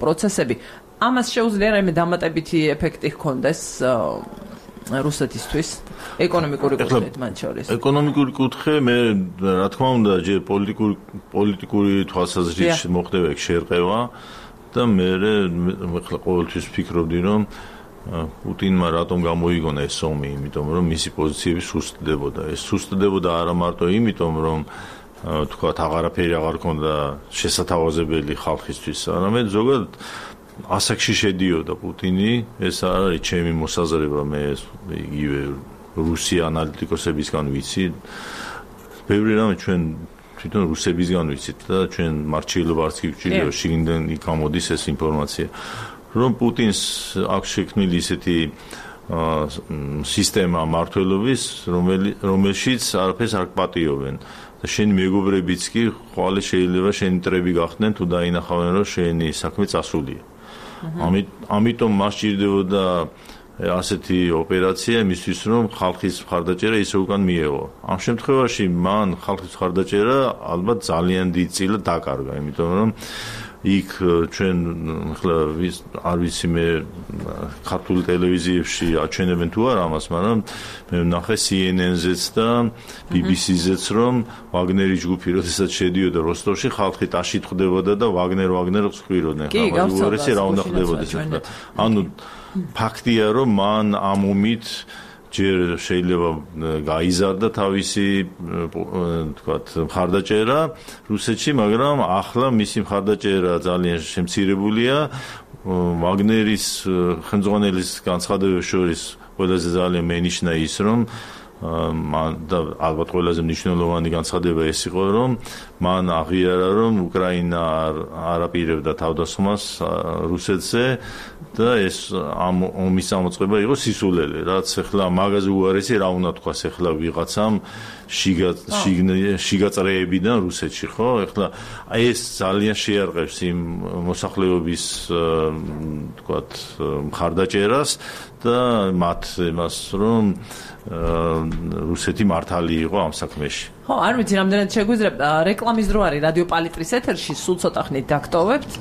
პროცესები. ამას შეუძლია რაიმე დამატებითი ეფექტი ჰქონდეს რუსეთისთვის ეკონომიკური კუთხით მათ შორის. ეკონომიკური კუთხე მე რა თქმა უნდა ჯერ პოლიტიკური თვალსაზრისით მოხდება ეგ შერყევა და მე ახლა ყოველთვის ვფიქრობდი რომ პუტინმა რატომ გამოიგონა ეს ომი, იმიტომ რომ მისი პოზიციები სუსტდებოდა. ეს სუსტდებოდა არა მარტო იმიტომ რომ თქვათ აღარაფერი აღარ ქონდა შესათავაზებელი ხალხისთვის, არამედ ზოგადად ასაკში შედიოდა პუტინი, ეს არ არის ჩემი მოსაზრება, მე იგივე რუსი ანალიტიკოსებისგან ვიცი. ბევრი რამე ჩვენ თვითონ რუსებისგან ვიცით და ჩვენ მარჩილობა არც კი ვჭირდება, შიგნიდან გამოდის ეს ინფორმაცია. რომ პუტინს აქვს შექმნილი ისეთი სისტემა მართლობის, რომელშიც არაფერს არ პატიობენ. და შენი მეგობრებიც კი ხვალე შეიძლება შენი მტრები გახდნენ თუ დაინახავენ რომ შენი საქმე წასულია. ამიტომ მას ჭირდებოდა ასეთი ოპერაცია იმისთვის რომ ხალხის მხარდაჭერა ისე უკან მიეღო. ამ შემთხვევაში მან ხალხის მხარდაჭერა ალბათ ძალიან დიდ წილად დაკარგა, იმიტომ რომ იქ ჩვენ ახლა არ ვიცი მე ქართულ ტელევიზიებში აჩვენებენ თუ არა ამას, მაგრამ მე ვნახე CNN-ზეც და BBC-ზეც რომ ვაგნერის ჯგუფი როდესაც შედიოდა როსტოვში, ხალხი ტაში თხვდებოდა და ვაგნერ ხსხვიროდნენ. ხა უარესი რა უნდა ხდებოდეს ახლა. ანუ ფაქტია რომ მან ამ ომით ჯერ შეიძლება გაიზარდა თავისი თქვათ მხარდაჭერა რუსეთში, მაგრამ ახლა მისი მხარდაჭერა ძალიან შემცირებულია. ვაგნერის ხელმძღვანელის განცხადებებს შორის ყველაზე ძალიან მენიშნა ის, რომ და ალბათ ყველაზე მნიშვნელოვანი განცხადება ეს იყო, რომ მან აღიარა, რომ უკრაინა არ აპირებდა თავდასხმას რუსეთზე და ეს ამ ომის ამოწყება იყო სისულელე, რაც ახლა მაგაზე უარესი რა უნდა თქვას ახლა ვიღაცამ შიგაწრეებიდან რუსეთში, ხო? ახლა ეს ძალიან შეარყევს იმ მოსახლეობის თქვათ მხარდაჭერას და მათ იმას რომ რუსეთი მართალი იყო ამ საქმეში. ხო, არ ვიცი, რამდენად შეგვიძლია რეკლამის დრო არის რადიო პალიტრის ეთერში, სულ ცოტა ხნით დაგტოვებთ,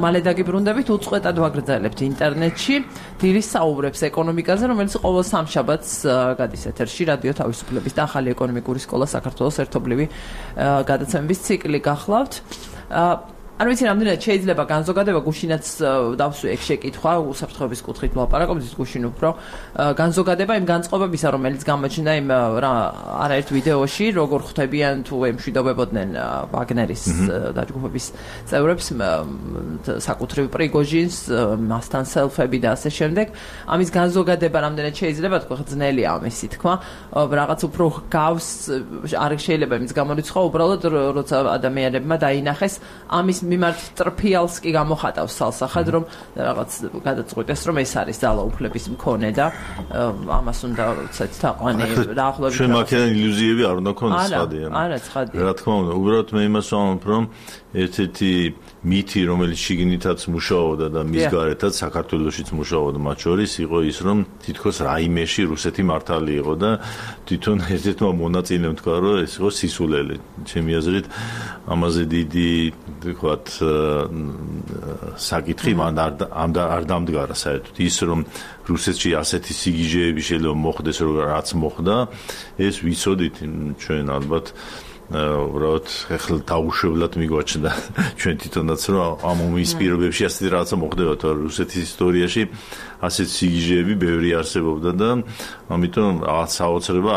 მალე დაგიბრუნდებით, უწყვეტად ვაგრძელებთ ინტერნეტში დილის საუბრებს ეკონომიკაზე, რომელიც ყოველ სამშაბათს გადის ეთერში რადიო თავისუფლების და ახალი ეკონომიკური სკოლა საქართველოს ერთობლივი გადაცემების ციკლი გახლავთ. არ ვიცი რამდენად შეიძლება განზოგადება გუშინაც დავსვი ეგ შეკითხვა უსაფრთხოების კუთხით ვლაპარაკობთ გუშინ უფრო განზოგადება იმ განწყობებისა რომელიც გამოჩნდა იმ არაერთ ვიდეოში როგორ ხვდებიან თუ ემშვიდობებოდნენ ვაგნერის დაჯგუფების წევრებს საკუთრივ პრიგოჟინს მასთან სელფები და ასე შემდეგ ამის განზოგადება რამდენად შეიძლება თქვა ძნელია ამისი თქვა რაღაც უფრო გავს არ შეიძლება იმის გამორიცხვა უბრალოდ როცა ადამიანებმა დაინახეს ამის მიმართ ტრფიალს კი გამოხატავს სალსახად რომ რაღაც გადაწყვეტეს რომ ეს არის ძალაუფლების მქონე და ამას უნდა ვცეთ თაყვანი დაახლოებით ჩვენ მაგალითად ილუზიები არ უნდა გქონდეს ცხადია არა ცხადია რა თქმა უნდა უბრალოდ მე იმას ვამბობ რომ ერთ-ერთი მითი რომელიც შიგნითაც მუშაობდა და მის გარეთაც საქართველოსიც მუშაობდა მათ შორის იყო ის რომ თითქოს რაიმეში რუსეთი მართალი იყო და თვითონ ერთ-ერთმა მონაწილემ თქვა რომ ეს იყო სისულელე ჩემი აზრით ამაზე დიდი ვთქვათ საკითხი მან არ დამდგარა საერთოდ ის რომ რუსეთში ასეთი სიგიჟეები შეიძლება მოხდეს რაც მოხდა ეს ვიცოდით ჩვენ ალბათ უბრალოდ ახლა დაუშვებლად მიგვაჩნდა ჩვენ თვითონაც რომ ამ ომის პირობებში ასეთი რაღაცა მოხდება თორე რუსეთის ისტორიაში ასეთი სიგიჟეები ბევრი არსებობდა და ამიტომ რაღაც საოცრება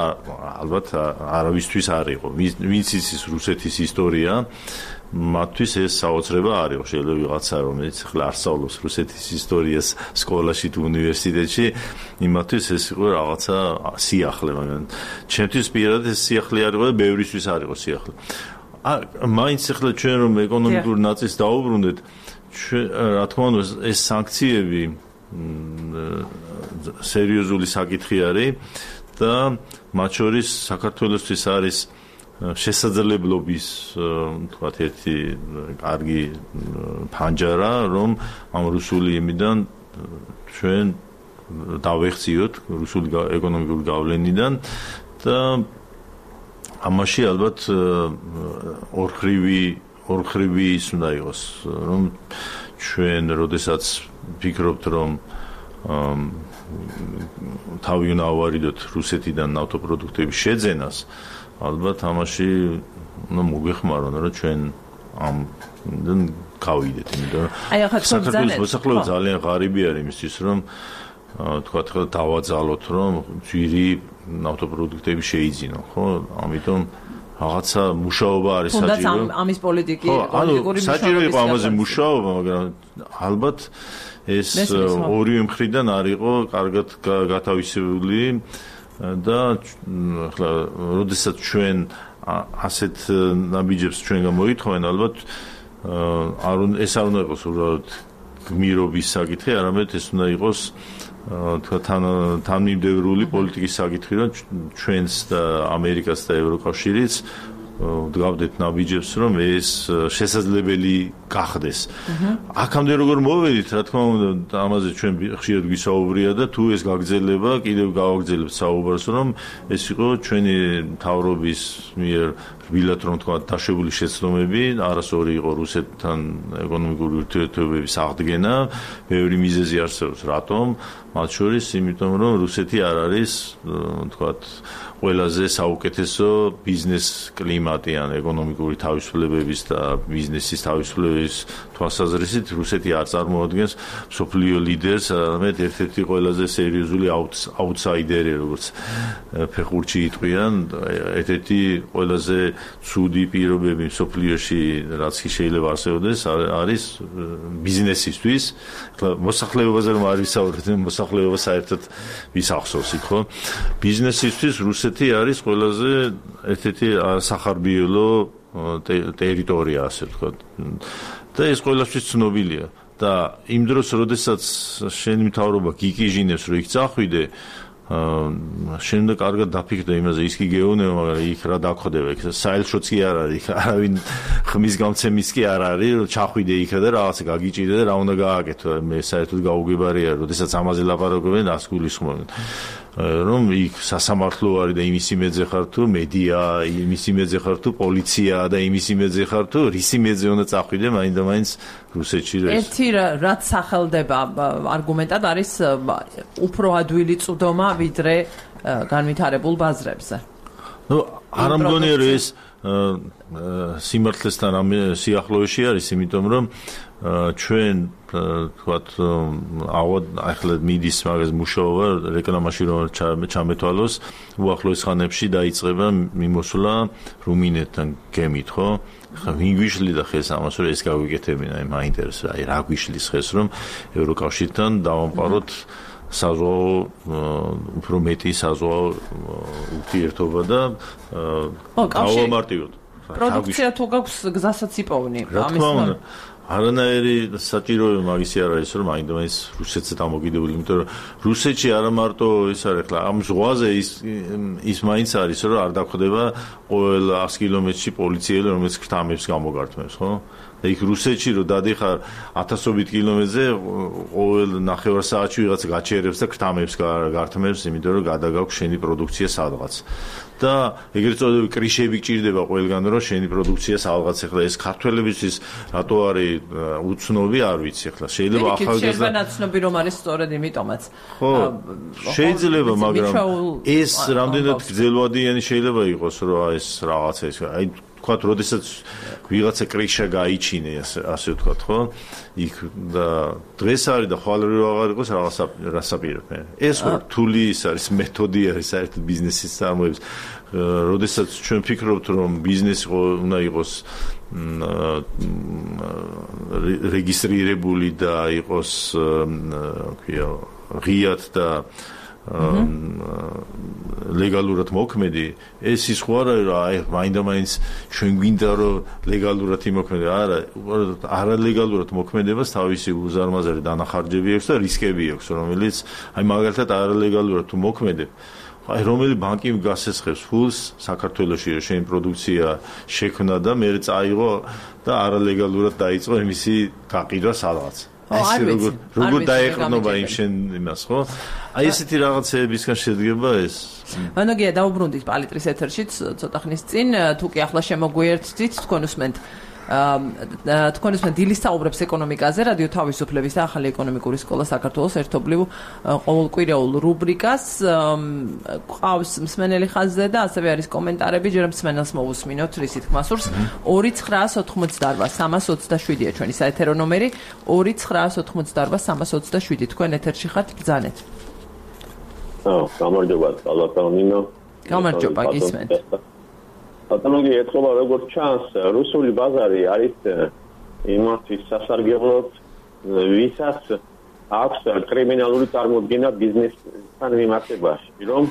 ალბათ არავისთვის არ იყო ვინც იცის რუსეთის ისტორია მათთვის ეს საოცრება არ იყო შეიძლება ვიღაცა რომელიც ახლა არ სწავლობს რუსეთის ისტორიას სკოლაში თუ უნივერსიტეტში იმათთვის ეს იყო რაღაცა სიახლე მაგრამ ჩემთვის პირადად ეს სიახლე არ იყო და ბევრისთვის არ იყო სიახლე მაინც ახლა ჩვენ რომ ეკონომიკურ ნაწილს დაუბრუნდეთ რა თქმა უნდა ეს სანქციები სერიოზული საკითხი არის და მათ შორის საქართველოსთვის არის შესაძლებლობის თქვათ ერთი კარგი ფანჯარა რომ ამ რუსული იმიდან ჩვენ დავეხციოთ რუსული ეკონომიკური გავლენიდან და ამაში ალბათ ორხრივი ის უნდა იყოს რომ ჩვენ როდესაც ფიქრობთ რომ თავი უნდა ავარიდოთ რუსეთიდან ნავთობპროდუქტების შეძენას ალბათ ამაში უნდა მოგვეხმარონ რომ ჩვენ ამიდან გავიდეთ იმიტომ რომ საქართველოს მოსახლეობა ძალიან ღარიბი არის იმისთვის რომ თქვათ ხო დავაძალოთ რომ ძვირი ნავთობპროდუქტები შეიძინონ ხო ამიტომ რაღაცა მუშაობა არის საჭირო თუნდაც ამის პოლიტიკური საჭირო იყო ამაზე მუშაობა მაგრამ ალბათ ეს ორივე მხრიდან არ იყო კარგად გათავისებული და ახლა როდესაც ჩვენ ასეთ ნაბიჯებს ჩვენ გამოითხოვენ ალბათ ეს არ უნდა იყოს უბრალოდ გმირობის საკითხი არამედ ეს უნდა იყოს თქვა თანმიმდევრული პოლიტიკის საკითხი რომ ჩვენს და ამერიკას და ევროკავშირიც ვდგავდეთ ნაბიჯებს რომ ეს შესაძლებელი გახდეს. აქამდე როგორ მოვედით, რა თქმა უნდა, ამაზე ჩვენ ხშირად გვისაუბრია და თუ ეს გაგრძელება, კიდევ გავაგრძელებთ საუბარს, რომ ეს იყო ჩვენი მთავრობის მიერ რბილად რომ თქვა დაშვებული შეცდომები, არასორი იყო რუსეთთან ეკონომიკური ურთიერთობების აღდგენა, ბევრი მიზეზი არსებობს, რატომ? მათ შორის იმიტომ რომ რუსეთი არ არის თქვა ყველაზე საუკეთესო ბიზნეს კლიმატი ან ეკონომიკური თავისუფლებების და ბიზნესის თავისუფლების თვალსაზრისით რუსეთი არ წარმოადგენს მსოფლიო ლიდერს, არამედ ერთ-ერთი ყველაზე სერიოზული აუტსაიდერი, როგორც ფეხბურთში იტყვიან, ერთ-ერთი ყველაზე ცუდი პირობები მსოფლიოში, რაც შეიძლება არსებობდეს, არის ბიზნესისთვის. მოსახლეობაზე რომ არ ვისაუბრეთ, მოსახლეობა საერთოდ ვისახსოვს იქ, ხო? ბიზნესისთვის რუსეთი არის ყველაზე ერთ-ერთი სახარბიელო ტერიტორია, ასე ვთქვათ. და ეს ყველასთვის ცნობილია. და იმ დროს, როდესაც შენი მთავრობა გიკიჟინებს, რომ იქ წახვიდე, შენ უნდა კარგად დაფიქრდე იმაზე, ის კი გეუბნება, მაგრამ იქ რა დაგხვდება, იქ საელჩოც კი არ არის, არავინ ხმის გამცემის კი არ არის, რომ ჩახვიდე იქ და რაღაცა გაგიჭირდე და რა უნდა გააკეთო. მე საერთოდ გაუგებარია, როდესაც ამაზე ლაპარაკობენ, ას გულისხმობენ. რომ იქ სასამართლო არის და იმის იმედზე ხარ თუ მედია, იმის იმედზე ხარ თუ პოლიცია და იმის იმედზე ხარ თუ რის იმედზე უნდა წახვიდე, მაინდა-მაინც რუსეთში ერთი რაც სახელდება არგუმენტად არის უფრო ადვილი წვდომა ვიდრე განვითარებულ ბაზრებზე. ნუ არ მგონია რომ ეს სიმართლესთან ამ სიახლოვეში არის, იმიტომ რომ ჩვენ თქვათ ახლა მიდის მაგას მუშაობა რეკლამაში რომ ჩამეთვალოს უახლოეს ხანებში დაიწყება მიმოსვლა რუმინეთთან გემით, ხო? ხა ვინ გვიშლიდა ხეს ამას რომ ეს გავიკეთებინა, მაინტერესებს რა გვიშლის ხეს რომ ევროკავშირთან დავამყაროთ საზღვაო უფრო მეტი საზღვაო ურთიერთობა და დავამარტივოთ. პროდუქცია თუ გაქვს გზასაც იპოვნი ამის არანაირი საჭიროება მაგისი არ არის რომ მაინც რუსეთზე დამოკიდებული, იმიტომ რომ რუსეთში არა მარტო ის არის ხლა ამ ზღვაზე ის მაინც არის რომ არ დახვდება ყოველ 100 კილომეტრში პოლიციელი რომელიც ქრთამებს გამოგართმევს, ხო? და იქ რუსეთში რომ დადიხარ 1000-ობით კილომეტრზე ყოველ ნახევარ საათში ვიღაცა გაჩერებს და ქრთამებს გართმევს, იმიტომ რომ გადაგაქვს შენი პროდუქცია სადღაც. და ეგრეთ წოდებული კრიშები გჭირდება ყველგან რომ შენი პროდუქცია სადღაც ახლა ეს ქართველებისთვის რატო არის უცნობი არ ვიცი ახლა შეიძლება ახალგაზრდა შეიძლება ნაცნობი რომ არის სწორედ იმიტომაც ხო შეიძლება მაგრამ ეს რამდენად გრძელვადიანი შეიძლება იყოს რომ ეს რაღაცა ეს აი თქვათ როდესაც ვიღაცა კრიშა გაიჩინე ასე ვთქვათ ხო იქ და დღეს არის და ხვალ აღარ იყოს რასაპირებენ ეს რთული ის არის მეთოდი არის საერთოდ ბიზნესის წარმოების როდესაც ჩვენ ფიქრობთ რომ ბიზნესი უნდა იყოს რეგისტრირებული და იყოს ქვია ღიად და ლეგალურად მოქმედი ეს ის ხო არა რომ აი მაინდა-მაინც ჩვენ გვინდა რომ ლეგალურად იმოქმედე არა ლეგალურად მოქმედებას თავისი უზარმაზარი დანახარჯები აქვს და რისკები აქვს რომელიც აი მაგალითად არა ლეგალურად თუ მოქმედებ აი რომელი ბანკი გასესხებს ფულს საქართველოში რომ შენი პროდუქცია შექმნა და მე წაიღო და არა ლეგალურად დაიწყო იმისი გაყიდვა სადღაც აი როგორ დაეყრდნობა იმ შენ იმას ხო აი ესეთი რაღაცეებისგან შედგება ეს მანოგია დაუბრუნდით პალიტრის ეთერშიც ცოტა ხნის წინ თუ კი ახლა შემოგვიერთდით თქვენ უსმენთ დილის საუბრებს ეკონომიკაზე რადიო თავისუფლების და ახალი ეკონომიკური სკოლა საქართველოს ერთობლივ ყოველკვირეულ რუბრიკას ყავს მსმენელი ხაზზე და ასევე არის კომენტარები ჯერ მსმენელს მოусმინოთ რისი თქმა სურს 2988-327-ია ჩვენი საეთერო ნომერი 2988-327 თქვენ ეთერში ხართ ბრძანეთ გამარჯობა ბატონო გამარჯობა გისმენთ ბატონო ეთქობა როგორც ჩანს რუსული ბაზარი არის იმათის სასარგებლოდ ვისაც აქვს კრიმინალური წარმოდგენა ბიზნესთან მიმართებაში რომ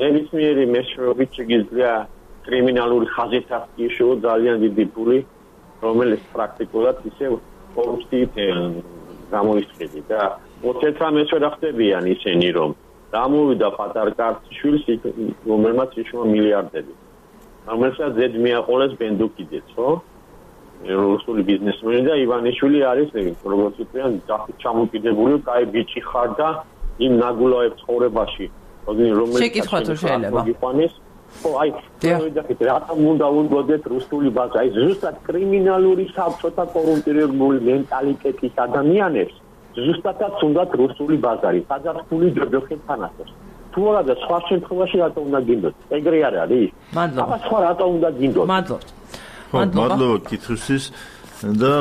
ნებისმიერი მეშვეობით შეგიძლია კრიმინალური ხაზით აღიშვო ძალიან დიდი ფული რომელიც პრაქტიკულად ისე კორუფციით გამოისყიდი და 19 რა ხდებიან ისინი რომ დამოვიდა პატარ კაცშვილს რომელმაც იშვა მილიარდები რომელსაც ზედ მიაყოლეს ბენდუკიძეც, ხო? რუსული ბიზნესმენი და ივანიშვილი არის, როგორც ვთქვიან, ჩამოკიდებული, კაი ბიჭი ხარ და იმ ნაგულაებს ცხოვრებაში, რომელიც შეკითხვა თუ შეიძლება. ხო, აი, ვიდაით, რატომ უნდა უნდოდეთ რუსული ბაზა? აი, ზუსტად კრიმინალური საბჭოთა კორუმპირებული მენტალიტეტის ადამიანებს ზუსტადაც უნდათ რუსული ბაზარი, სადაც ფული ჯოჯოხეთთან ასოს. თუ არა და სხვა შემთხვევაში რატო უნდა გინდოთ? ეგრე არ არის? მადლობა. აბა სხვა რატო უნდა გინდოთ? მადლობა. მადლობა კითხვისთვის და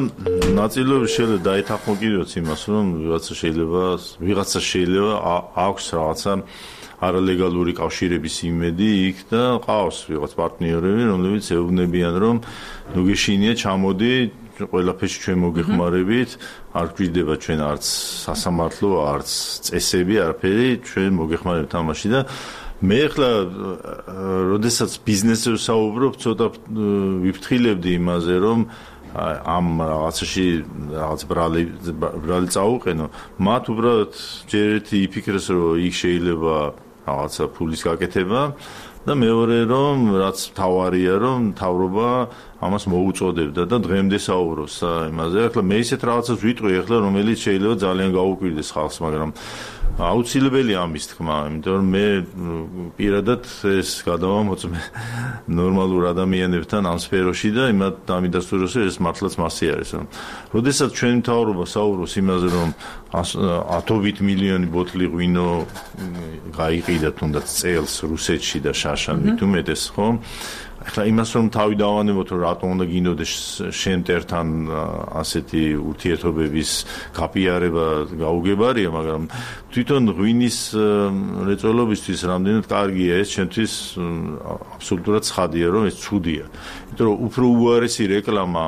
ნაწილობრივ შეიძლება დაეთანხმო იმას, რომ ვიღაცა შეიძლება აქვს რაღაცა არალეგალური კავშირების იმედი იქ და ყავს ვიღაც პარტნიორები, რომლებიც ეუბნებიან, რომ ნუ გეშინია ჩამოდი ყველაფერში ჩვენ მოგეხმარებით, არ გვიდება ჩვენ არც სასამართლო, არც წესები, არაფერი, ჩვენ მოგეხმარებით ამაში და მე ახლა როდესაც ბიზნესზე ვსაუბრობ, ცოტა ვიფრთხილებდი იმაზე, რომ ამ რაღაცაში რაღაც ბრალი წაუყენო, მათ უბრალოდ ჯერ ერთი იფიქრეს, რომ იქ შეიძლება რაღაცა ფულის გაკეთება და მეორე რომ რაც თავარია რომ თავრობა ამას მოუწოდებდა და დღემდე საუბრობს იმაზე. ახლა მე ისეთ რაღაცას ვიტყვი ახლა რომელიც შეიძლება ძალიან გაუკვირდეს ხალხს, მაგრამ აუცილებელია ამის თქმა, იმიტომ რომ მე პირადად ეს გადავამოწმე ნორმალურ ადამიანებთან ამ სფეროში და იმათ დამიდასტუროს ეს მართლაც მასე არის. როდესაც ჩვენი მთავრობა საუბრობს იმაზე რომ 100 მილიონი ბოთლი ღვინო გაიყიდა თუნდაც წელს რუსეთში და გაშან მით უმეტეს ხო ახლა იმას რომ თავი დავანებოთ რომ რატომ უნდა გინდოდეს შენ მტერთან ასეთი ურთიერთობების გაპიარება გაუგებარია მაგრამ თვითონ ღვინის რეწველობისთვის რამდენად კარგია ეს ჩემთვის აბსოლუტურად ცხადია რომ ეს ცუდია იმიტომ რომ უფრო უარესი რეკლამა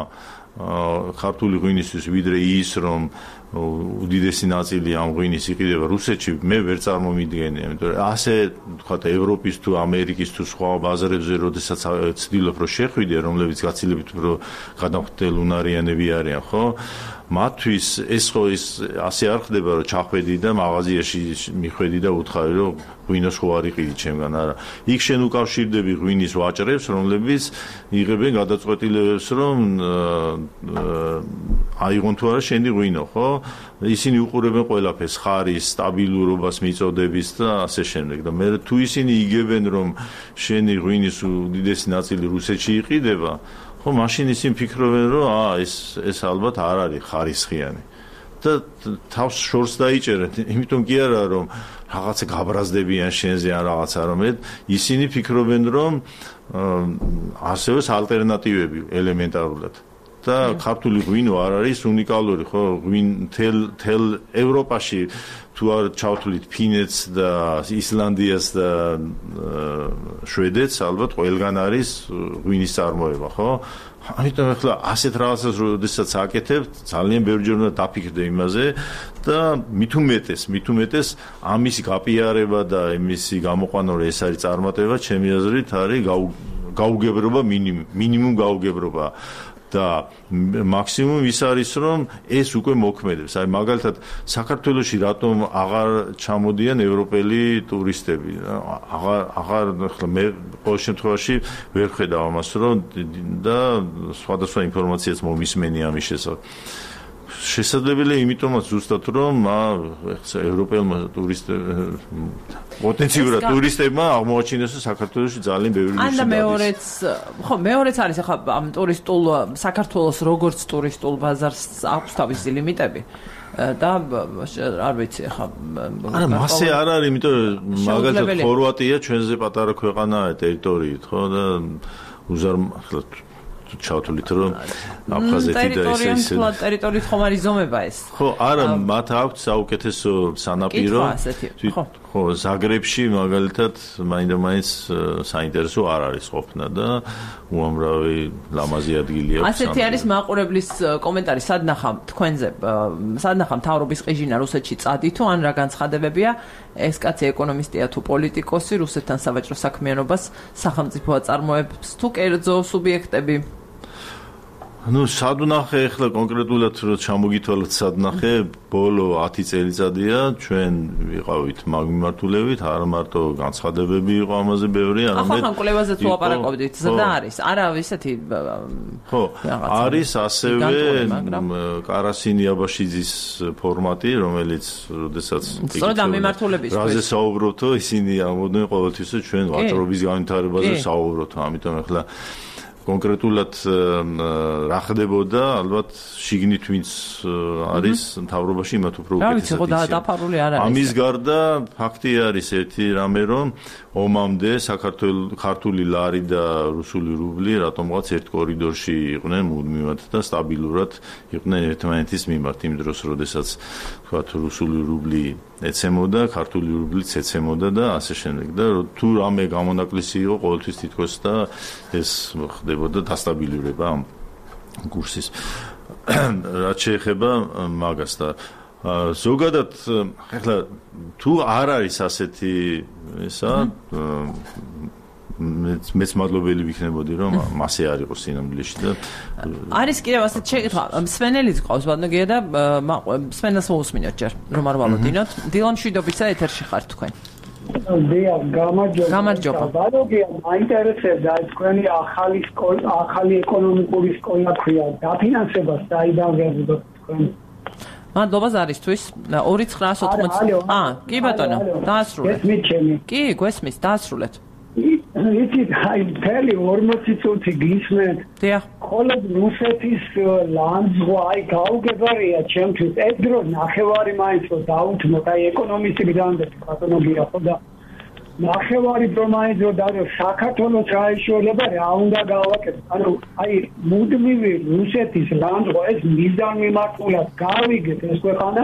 ქართული ღვინისთვის ვიდრე ის რომ უდიდესი ნაწილი ამ ღვინის იყიდება რუსეთში მე ვერ წარმომიდგენია იმიტომ რომ ასე თქვათ ევროპის თუ ამერიკის თუ სხვა ბაზარებზე როდესაც ცდილობ რომ შეხვიდე რომლებიც გაცილებით უფრო გადამხდელუნარიანები არიან ხო მათთვის ეს ხო ის ასე არ ხდება რომ ჩახვედი და მაღაზიაში მიხვედი და უთხარი რომ ღვინოს ხო არ იყიდი ჩემგან არა იქ შენ უკავშირდები ღვინის ვაჭრებს რომლებიც იღებენ გადაწყვეტილებებს რომ აიღონ თუ არა შენი ღვინო ხო ისინი უყურებენ ყველაფერს ხარის სტაბილურობას მიწოდების და ასე შემდეგ და მე თუ ისინი იგებენ რომ შენი ღვინის უდიდესი ნაწილი რუსეთში იყიდება ხო მაშინ ისინი ფიქრობენ რომ ეს ალბათ არ არის ხარისხიანი და თავს შორს დაიჭერენ იმიტომ კი არა რომ რაღაცა გაბრაზდებიან შენზე ან რაღაცა რომ ისინი ფიქრობენ რომ არსებობს ალტერნატივები ელემენტარულად და ქართული ღვინო არ არის უნიკალური ხო თელ ევროპაში თუ არ ჩავთვლით ფინეთს და ისლანდიას და შვედეთს ალბათ ყველგან არის ღვინის წარმოება ხო ამიტომ ახლა ასეთ რაღაცას როდესაც აკეთებ ძალიან ბევრჯერ უნდა დაფიქრდე იმაზე და მით უმეტეს ამის გაპიარება და იმისი გამოყვანა რომ ეს არის წარმატება ჩემი აზრით არის გაუგებრობა მინიმუმ გაუგებრობა და მაქსიმუმ ის არის რომ ეს უკვე მოქმედებს. აი მაგალითად საქართველოში რატომ აღარ ჩამოდიან ევროპელი ტურისტები? აღარ ახლა მე ყოველ შემთხვევაში ვერ ხედავ ამას რომ და სხვადასხვა ინფორმაციაც მომისმენი ამის შესახებ. შესაძლებელია იმიტომაც ზუსტად რომ ევროპელმა პოტენციურად ტურისტებმა აღმოაჩინეს საქართველოში ძალიან ბევრი ნიში. და მეორეც არის ახლა ამ ტურისტულ საქართველოს როგორც ტურისტულ ბაზარს აქვს თავისი ლიმიტები და არ ვიცი ახლა არა მასე არ არის იმიტომ რომ მაგალითად ხორვატია ჩვენზე პატარა ქვეყანაა ტერიტორიით ხო და ახლა ჩავთვლით რომ აფხაზეთი და ესე ტერიტორიით ხომ არის ზომება ეს ხო არა მათ აქვს საუკეთესო სანაპირო ხო ზაგრებში მაგალითად მაინდა-მაინც საინტერესო არ არის ყოფნა და უამრავი ლამაზი ადგილი აქვს ასეთი არის მაყურებლის კომენტარი სადნახა თქვენზე სადნახა მთავრობის ყიჟინა რუსეთში წადი თუ ან რა განცხადებებია ეს კაცი ეკონომისტია თუ პოლიტიკოსი რუსეთთან სავაჭრო საქმიანობას სახელმწიფო აწარმოებს თუ კერძო სუბიექტები ну სადნახე ახლა კონკრეტულად რო ჩამოგითვალოთ სადნახე ბოლო 10 წელიწადია ჩვენ ვიყავით მაგმიმართულებით არ მარტო განცხადებები იყო ამაზე ბევრი არამედ ახლა კვლევაზეც ვლაპარაკობდით ზრდა არის არა ისეთი ხო არის ასევე კარასინ იაბაშიძის ფორმატი რომელიც როდესაც სწორედ ამ მიმართულებისთვის რაზე საუბრობთო ისინი ამოდნენ ყოველთვის ჩვენ ვაჭრობის განვითარებაზე საუბრობთ ამიტომ ახლა კონკრეტულად რა ხდებოდა ალბათ შიგნით ვინც არის მთავრობაში მათ უფრო უკეთესად ამის გარდა ფაქტი არის ერთი რამე რომ ომამდე ქართული ლარი და რუსული რუბლი რატომღაც ერთ კორიდორში იყვნენ მუდმივად და სტაბილურად იყვნენ ერთმანეთის მიმართ იმ დროს როდესაც თქვათ რუსული რუბლი ეცემოდა ქართული რუბლიც ეცემოდა და ასე შემდეგ და თუ რამე გამონაკლისი იყო ყოველთვის თითქოს და ეს ხდებოდა დასტაბილურება ამ კურსის რაც შეეხება მაგას და ზოგადად ახლა თუ არ არის ასეთი ესა მეც მადლობელი ვიქნებოდი რომ მასე არ იყოს სინამდვილეში და არის კიდევ ასეთ შეკითხვა სვენელიც ყავს ბატონო და სვენელს მოусმინოთ ჯერ რომ არ ვალოდინოთ დილა მშვიდობისა ეთერში ხართ თქვენ გამარჯობა ბატონო მაინტერესებდა თქვენი ახალი ეკონომიკური სკოლა ქვია დაფინანსება საიდან ვერდოთ თქვენ მადლობა ზარისთვის 2980 კი ბატონო დაასრულეთ კი გვესმის დაასრულეთ იცით აი მთელი 40 წუთი გისმენთ მხოლოდ რუსეთის ლანძღვა აი გაუგებარია ჩემთვის ეს დრო ნახევარი მაინც რომ დაუთმოთ აი ეკონომისტი გდანდეთ ბატონო გია ხო და ნახევარი პრომაინძო და საქართველოს გაეშველება რა უნდა გავაკეთოთ. ანუ აი მუდმივი რუსეთის ლანდღვა ეს მიზანმიმართულად გავიგეთ ეს ქვეყანა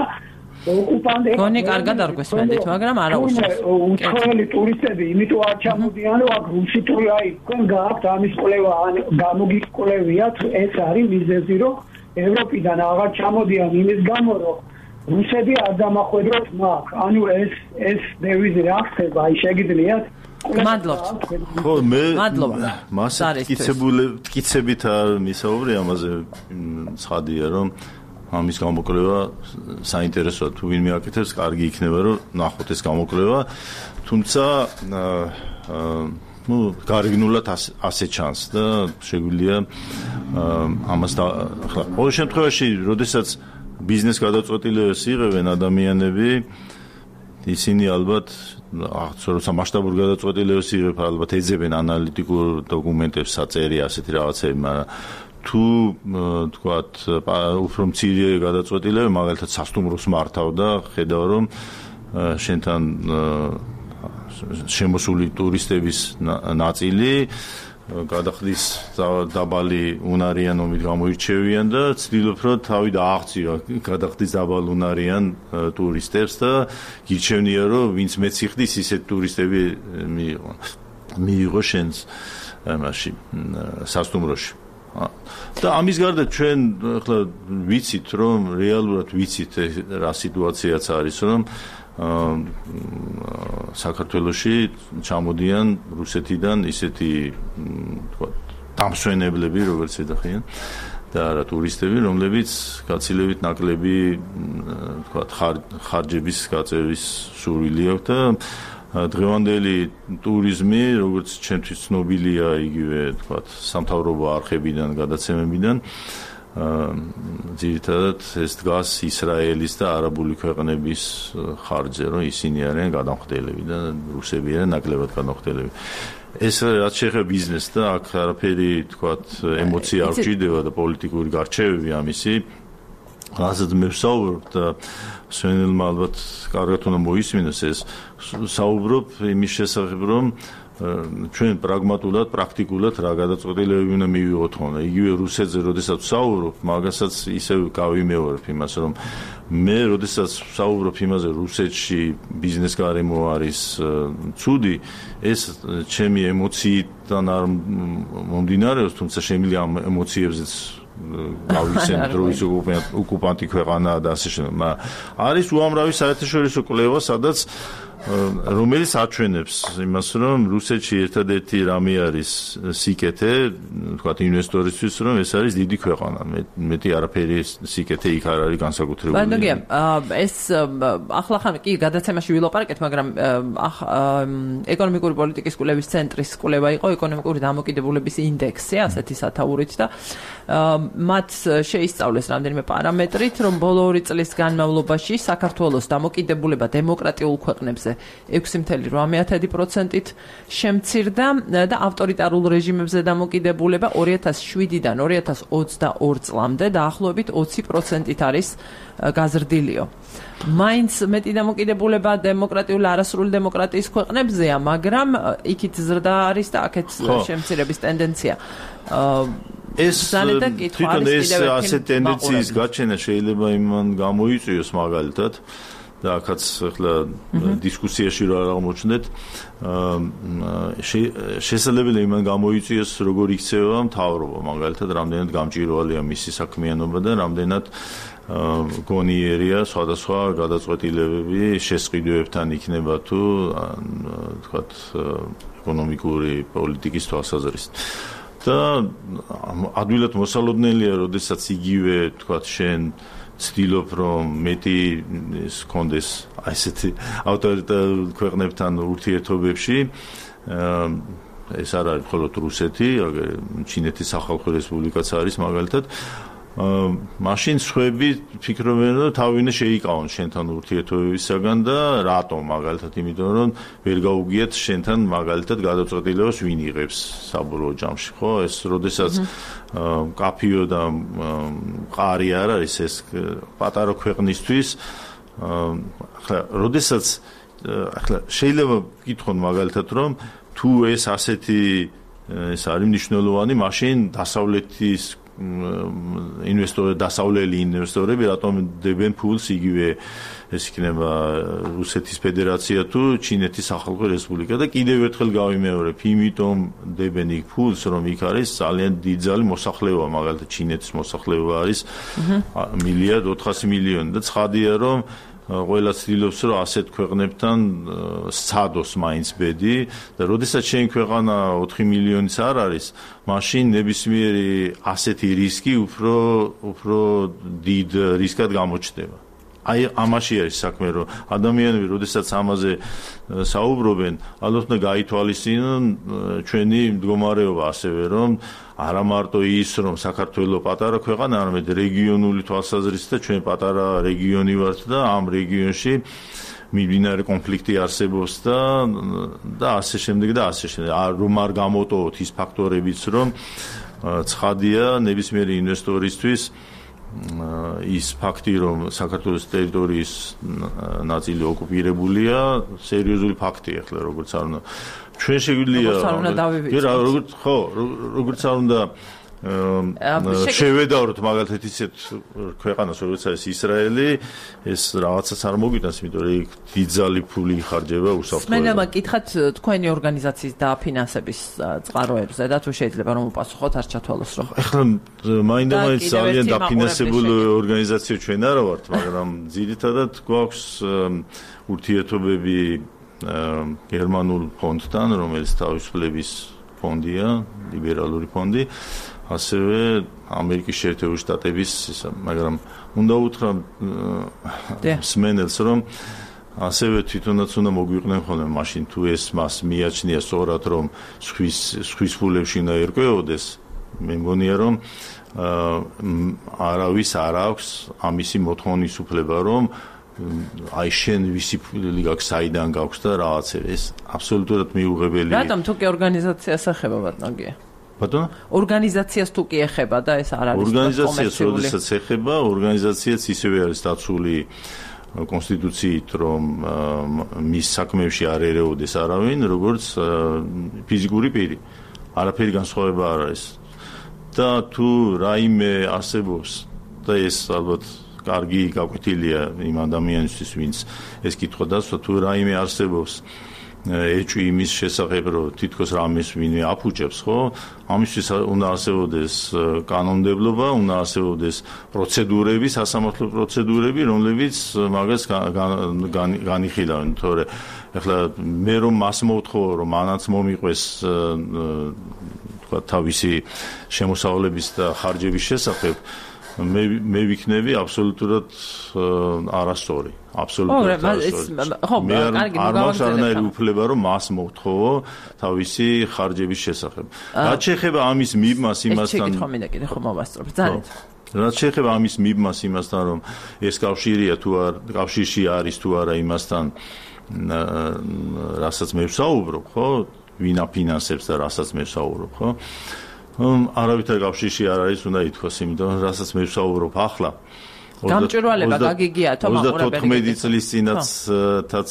ოკუპანტები გონი კარგად არ გვესმენდით, მაგრამ არა უსწრებს. უცხოელი ტურისტები იმიტომ არ ჩამოდიან, რომ აქ რუსითური აი თქვენ გააქვთ ამის კვლევა, გამოგიკვლევიათ, ეს არის მიზეზი, რომ ევროპიდან აღარ ჩამოდიან იმის გამო, რომ რუსები არ დამახვედროთ მაგ. ანუ ეს დევიზი რა ხდება, აი შეგიძლიათ მადლობთ. ხო, მე მადლობა. მასე მტკიცებით არ მისაუბრე ამაზე ცხადია, რომ ამის გამოკვლევა საინტერესოა თუ ვინმე აკეთებს, კარგი იქნება რომ ნახოთ ეს გამოკვლევა, თუმცა გარეგნულად ასე ჩანს და შეგვიძლია ამას ახლა ყოველ შემთხვევაში, როდესაც ბიზნეს გადაწყვეტილებას იღებენ ადამიანები, ისინი ალბათ როცა მასშტაბურ გადაწყვეტილებას იღებ, ალბათ ეძებენ ანალიტიკურ დოკუმენტებს, საწერი ასეთი რაღაცები, მაგრამ თუ თქვათ უფრო მცირე გადაწყვეტილება, მაგალითად სასტუმროს მართავ და ხედავ რომ შენთან შემოსული ტურისტების ნაწილი გადახდის დაბალი უნარიანობით გამოირჩევიან და ცდილობ რომ თავი დააღწია გადახდის დაბალ უნარიან ტურისტებს და გირჩევნია რომ ვინც მეციხდის ისეთ ტურისტები მიიღო შენს მაშინ სასტუმროში და ამის გარდა ჩვენ ახლა ვიცით რომ რეალურად ვიცით რა სიტუაციაც არის რომ საქართველოში ჩამოდიან რუსეთიდან ისეთი თქვა დამსვენებლები როგორც ეძახიან და არა ტურისტები რომლებიც გაცილებით ნაკლები თქვა ხარჯების გაწევის სურვილი აქვს და დღევანდელი ტურიზმი როგორც ჩვენთვის ცნობილია იგივე თქვა სამთავრობო არხებიდან გადაცემებიდან ძირითადად ეს დგას ისრაელის და არაბული ქვეყნების ხარჯზე რომ ისინი არიან გადამხდელები და რუსები არიან ნაკლებად გადამხდელები ეს რაც შეეხება ბიზნესს და აქ არაფერი თქვა ემოცია არ გვჭირდება და პოლიტიკური გარჩევები ამისი რასაც მე ვსაუბრობ და სვენელმა ალბათ კარგად უნდა მოისმინოს ეს საუბრობ იმის შესახებ რომ ჩვენ პრაგმატულად, პრაქტიკულად რა გადაწყვეტილებები უნდა მივიღოთ ხოლმე. იგივე რუსეთზე, როდესაც ვსაუბრობ, მაგასაც ისევ გავიმეორებ იმას, რომ მე როდესაც ვსაუბრობ იმაზე, რუსეთში ბიზნეს გარემო არის ცუდი, ეს ჩემი ემოციიდან არ მომდინარეობს, თუმცა შემიძლია ამ ემოციებზეც გავიხსენოთ, რომ ის ოკუპანტი ქვეყანაა და ასე შემდეგ. არის უამრავი საერთაშორისო კვლევა, სადაც რომელიც აჩვენებს იმას, რომ რუსეთში ერთადერთი რამე არის სიკეთე, თქვათ ინვესტორისთვის, რომ ეს არის დიდი ქვეყანა. მეტი არაფერი სიკეთე იქ არ არის განსაკუთრებული. ბანდოგია, ეს ახლა ხან კი გადაცემაში ვილაპარაკეთ, მაგრამ ეკონომიკური პოლიტიკის კვლევის ცენტრის კვლევა იყო ეკონომიკური დამოკიდებულების ინდექსი, ასეთი სათაურით და მათ შეისწავლეს რამდენიმე პარამეტრით, რომ ბოლო 2 წლის განმავლობაში საქართველოს დამოკიდებულება დემოკრატიულ ქვეყნებზე 6.8%-ით შემცირდა და ავტორიტარულ რეჟიმებზე დამოკიდებულება 2007-დან 2022 წლამდე დაახლოებით 20%-ით არის გაზრდილიო. მაინც მეტი დამოკიდებულება დემოკრატიული არასრული დემოკრატიის ქვეყნებზეა, მაგრამ იქით ზრდა არის და აქეთ შემცირების ტენდენცია. ეს თვითონ ეს ასეთ ტენდენციის გაჩენა შეიძლება იმან გამოიწვიოს მაგალითად და აქაც ახლა დისკუსიაში რა აღმოჩნდეთ შესაძლებელია იმან გამოიწვიოს როგორ იქცევა მთავრობა მაგალითად რამდენად გამჭირვალეა მისი საქმიანობა და რამდენად გონიერია სხვადასხვა გადაწყვეტილებები შესყიდვებთან იქნება თუ თქვათ ეკონომიკური პოლიტიკის თვალსაზრისით და ადვილად მოსალოდნელია როდესაც იგივე თქვათ შენ ცდილობ რომ მეტი ეს კონდეს აი ესეთი ავტორიტარულ ქვეყნებთან ურთიერთობებში ეს არ არის მხოლოდ რუსეთი, ჩინეთის სახალხო რესპუბლიკაც არის მაგალითად მაშინ სხვები ფიქრობენ რომ თავი უნდა შეიკავონ შენთან ურთიერთობებისაგან და რატომ მაგალითად იმიტომ რომ ვერ გაუგიათ შენთან მაგალითად გადაწყვეტილებას ვინ იღებს საბოლოო ჯამში ხო ეს როდესაც კაფიო და მყარი არ არის ეს პატარა ქვეყნისთვის ახლა როდესაც ახლა შეიძლება გითხონ მაგალითად რომ თუ ეს ასეთი ეს არის მნიშვნელოვანი, მაშინ დასავლეთის დასავლელი ინვესტორები რატომ დებენ ფულს იგივე ეს იქნება რუსეთის ფედერაცია თუ ჩინეთის სახალხო რესპუბლიკა და კიდევ ერთხელ გავიმეორებ, იმიტომ დებენ იქ ფულს, რომ იქ არის ძალიან დიდძალი მოსახლეობა, მაგალითად ჩინეთის მოსახლეობა არის 1.4 მილიონი და ცხადია რომ ყველა ცდილობს რომ ასეთ ქვეყნებთან სცადოს მაინც ბედი და როდესაც შენ ქვეყანა 4 მილიონიც არ არის, მაშინ ნებისმიერი ასეთი რისკი უფრო დიდ რისკად გამოჩნდება. აი ამაში არის საქმე, რომ ადამიანები როდესაც ამაზე საუბრობენ, ალბათ უნდა გაითვალისწინონ ჩვენი მდგომარეობა ასევე, რომ არა მარტო ის, რომ საქართველოს პატარა ქვეყანა, არამედ რეგიონული თვალსაზრისით და ჩვენ პატარა რეგიონი ვართ და ამ რეგიონში მიმდინარე კონფლიქტი არსებობს და ასე შემდეგ და ასე შემდეგ. რომ არ გამოტოვოთ ის ფაქტორებიც, რომ ცხადია ნებისმიერი ინვესტორისთვის ის ფაქტი, რომ საქართველოს ტერიტორიის ნაწილი ოკუპირებულია, სერიოზული ფაქტია, ახლა როგორც არ უნდა ჩვენ შეგვიძლია როგორც არ უნდა შევედავროთ მაგალითად ისეთ ქვეყანას, როგორც არის ისრაელი, ეს რაღაცას არ მოგვიტანს, იმიტომ რომ იქ დიდძალი ფული იხარჯება უსაფრთხოებად. სმენა მკითხათ თქვენი ორგანიზაციის დაფინანსების წყაროებზე და თუ შეიძლება რომ უპასუხოთ არ ჩათვალოს რომ. ახლა მაინდა-მაინც ძალიან დაფინანსებული ორგანიზაცია ჩვენ არა ვართ, მაგრამ ძირითადად გვაქვს ურთიერთობები გერმანულ ფონდთან, რომელიც თავისუფლების ფონდია, ლიბერალური ფონდი. ასევე ამერიკის შეერთებული შტატების, მაგრამ უნდა უთხრა სმენელს, რომ ასევე თვითონაც უნდა მოგვიყნენ ხოლმე მაშინ თუ ეს მას მიაჩნია სწორად, რომ სხვის ფულებში უნდა ერკვეოდეს, მე მგონია, რომ არავის არ აქვს ამისი მოთხოვნის უფლება, რომ აი შენ ვისი ფული გაქვს, საიდან გაქვს და რაღაცა ეს აბსოლუტურად მიუღებელია. რატომ თუკი ორგანიზაციას ეხება ბატონგია? ბატონო? ორგანიზაციას თუკი ეხება და ეს არ არის ორგანიზაციას როდესაც ეხება, ორგანიზაციაც ისევე არის დაცული კონსტიტუციით, რომ მის საქმეებში არ ერეოდეს არავინ, როგორც ფიზიკური პირი. არაფერი განსხვავება არ არის. და თუ რაიმე არსებობს და ეს ალბათ კარგი გაკვეთილია იმ ადამიანისთვის, ვინც ეს კითხვა დასვა, თუ რაიმე არსებობს ეჭვი იმის შესახებ, რომ თითქოს რამეს ვინმე აფუჭებს, ხო? ამისთვის უნდა არსებობდეს კანონმდებლობა, უნდა არსებობდეს პროცედურები, სასამართლო პროცედურები, რომლებიც მაგას განიხილავენ, თორე ეხლა მე რომ მას მოვთხოვო, რომ მანაც მომიყვეს თქვა თავისი შემოსავლების და ხარჯების შესახებ, მე ვიქნები აბსოლუტურად არასწორი. აბსოლუტურად არასწორი. არ მაქვს არანაირი უფლება, რომ მას მოვთხოვო თავისი ხარჯების შესახებ. რაც შეეხება ამის მიბმას იმასთან, რაც შეეხება ამის მიბმას იმასთან, რომ ეს კავშირია თუ არ, კავშირში არის თუ არა იმასთან, რასაც მე ვსაუბრობ, ხო? ვინ აფინანსებს და რასაც მე ვსაუბრობ, ხო? არავითარ კავშირში არ არის, უნდა ითქვას, იმიტომ რომ რასაც მე ვსაუბრობ ახლა გამჭვირვალება გაგიგიათო მაყურებელი 34 წლის წინათაც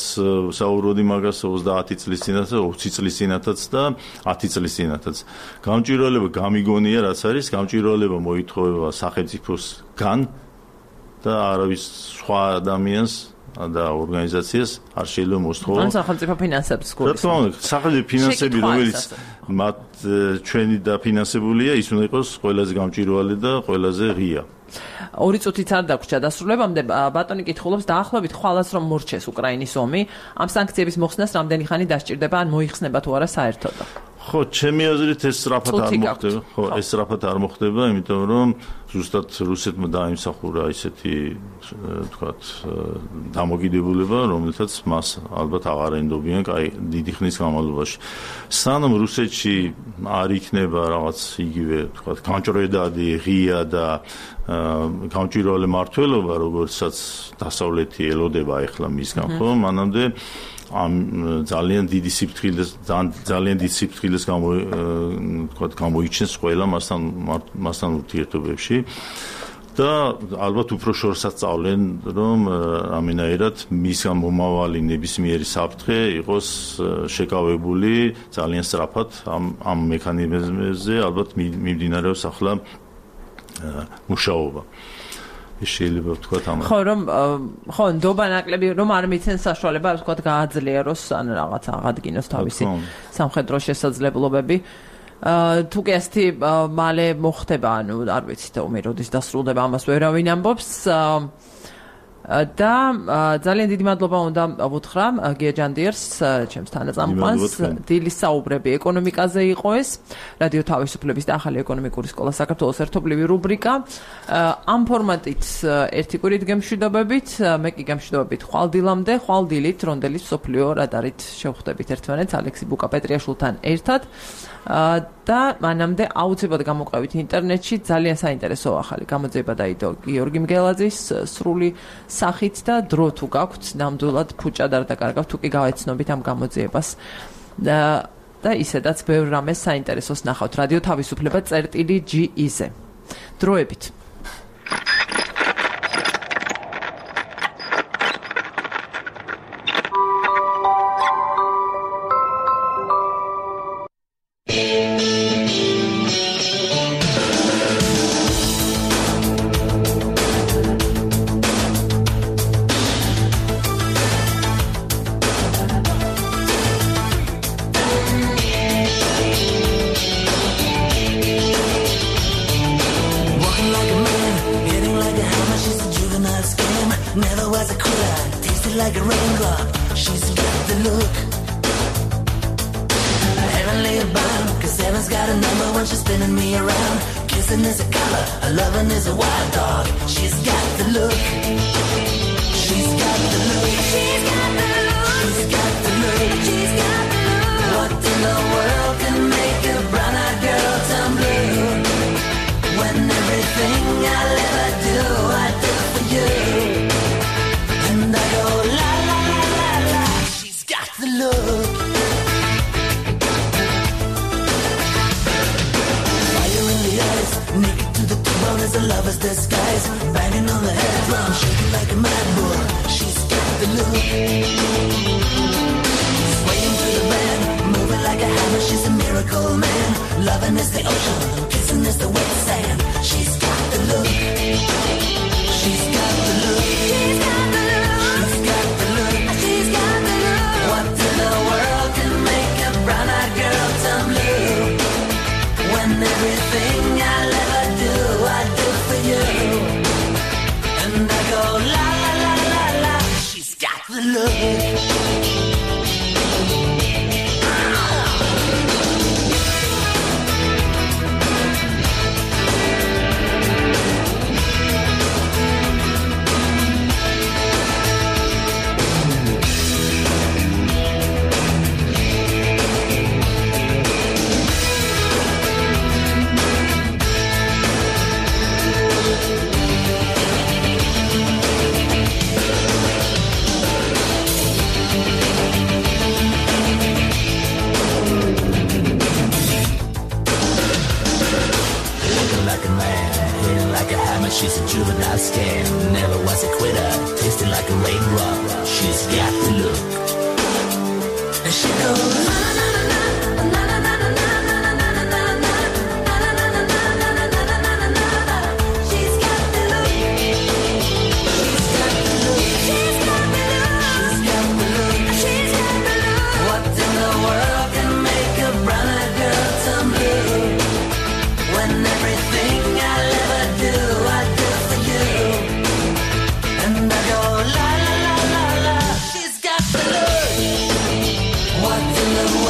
საუბრობდი მაგას, 30 წლის წინათაც, 20 წლის წინათაც და 10 წლის წინათაც. გამჭვირვალება გამიგონია, რაც არის, გამჭვირვალება მოითხოვება სახელმწიფოსგან და არავის სხვა ადამიანს და ორგანიზაციას არ შეიძლება მოსთხოვო. ან სახელმწიფო ფინანსებს გულისხმობ. რა თქმა უნდა, სახელმწიფო ფინანსები, რომელიც მათ ჩვენი დაფინანსებულია, ის უნდა იყოს ყველაზე გამჭვირვალე და ყველაზე ღია. 2 წუთიც არ დაგვრჩა დასრულებამდე. ბატონი კითხულობს, დაახლოებით ხვალას რომ მორჩეს უკრაინის ომი, ამ სანქციების მოხსნას რამდენი ხანი დასჭირდება, ან მოიხსნება თუ არა საერთოდ? ხო, ჩემი აზრით ეს სწრაფად არ მოხდება. ხო, ეს სწრაფად არ მოხდება, იმიტომ რომ ზუსტად რუსეთმა დაიმსახურა ისეთი, თქვათ, დამოკიდებულება, რომელთაც მას ალბათ აღარ ენდობიან დიდი ხნის განმავლობაში. სანამ რუსეთში არ იქნება რაღაც იგივე, თქვათ, გამჭრედადი, ღია და გამჭვირვალე მართლობა, როგორცაც დასავლეთი ელოდება ახლა მისგან, ხო, მანამდე ამ ძალიან დიდი სიფრთხილეს გამოიჩენს ყველა მასთან ურთიერთობებში. და ალბათ უფრო შორსაც სწავლენ, რომ ამენაირად მისგან მომავალი ნებისმიერი საფრთხე იყოს შეკავებული ძალიან სწრაფად ამ მექანიზმებზე ალბათ მიმდინარეობს ახლა მუშაობა. შეიძლება ვთქვათ ამას. ხო, ნდობა ნაკლები რომ არ მიცენ საშუალება, ვთქვათ, გააძლიეროს ან რაღაც აღადგინოს თავისი სამხედრო შესაძლებლობები. თუ კი ასეთი მალე მოხდება, ანუ არ ვიცი და როდის დასრულდება ამას ვერავინ ამბობს. და ძალიან დიდი მადლობა უნდა ვუთხრა გია ჯანდიერს, ჩემს თანაწამყვანს. დილის საუბრები ეკონომიკაზე იყო ეს. რადიო თავისუფლების და ახალი ეკონომიკური სკოლა საქართველოს ერთობლივი რუბრიკა. ამ ფორმატით ერთი კვირით გემშვიდობებით, მე კი გემშვიდობებით ხვალდილამდე, ხვალდილით, რონდელის მსოფლიო რადარით შევხვდებით ერთმანეთს ალექსი ბუკა-პეტრიაშვილთან ერთად. და მანამდე აუცილებლად გამოყევით ინტერნეტში ძალიან საინტერესო ახალი გამოძიება დაიდო გიორგი მგელაძის სრული სახით და დრო თუ გაქვთ ნამდვილად ფუჭად არ დაკარგავთ თუ კი გავეცნობით ამ გამოძიებას და ისედაც ბევრ რამეს საინტერესოს ნახავთ რადიო თავისუფლება წერტილი.gi-ზე დროებით What in the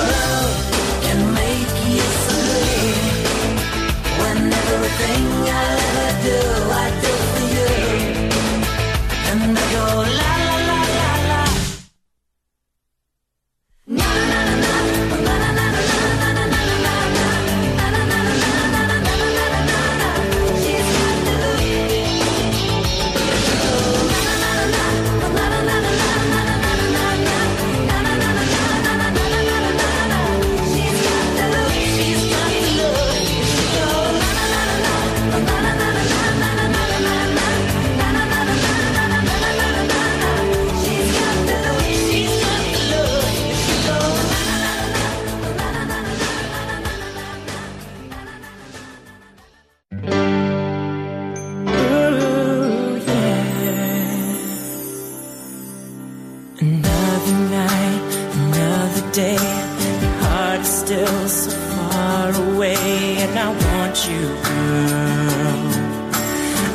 but still so far away. And I want you, girl.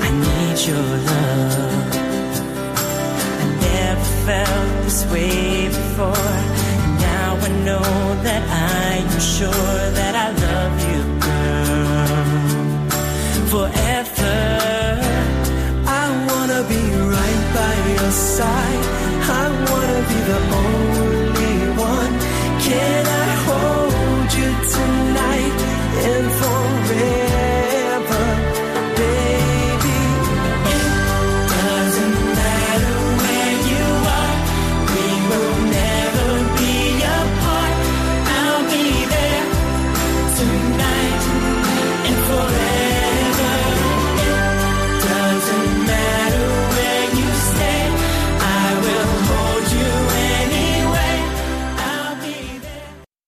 I need your love. I never felt this way before. Now I know that I am sure that I love you, girl. Forever, I wanna be right by your side.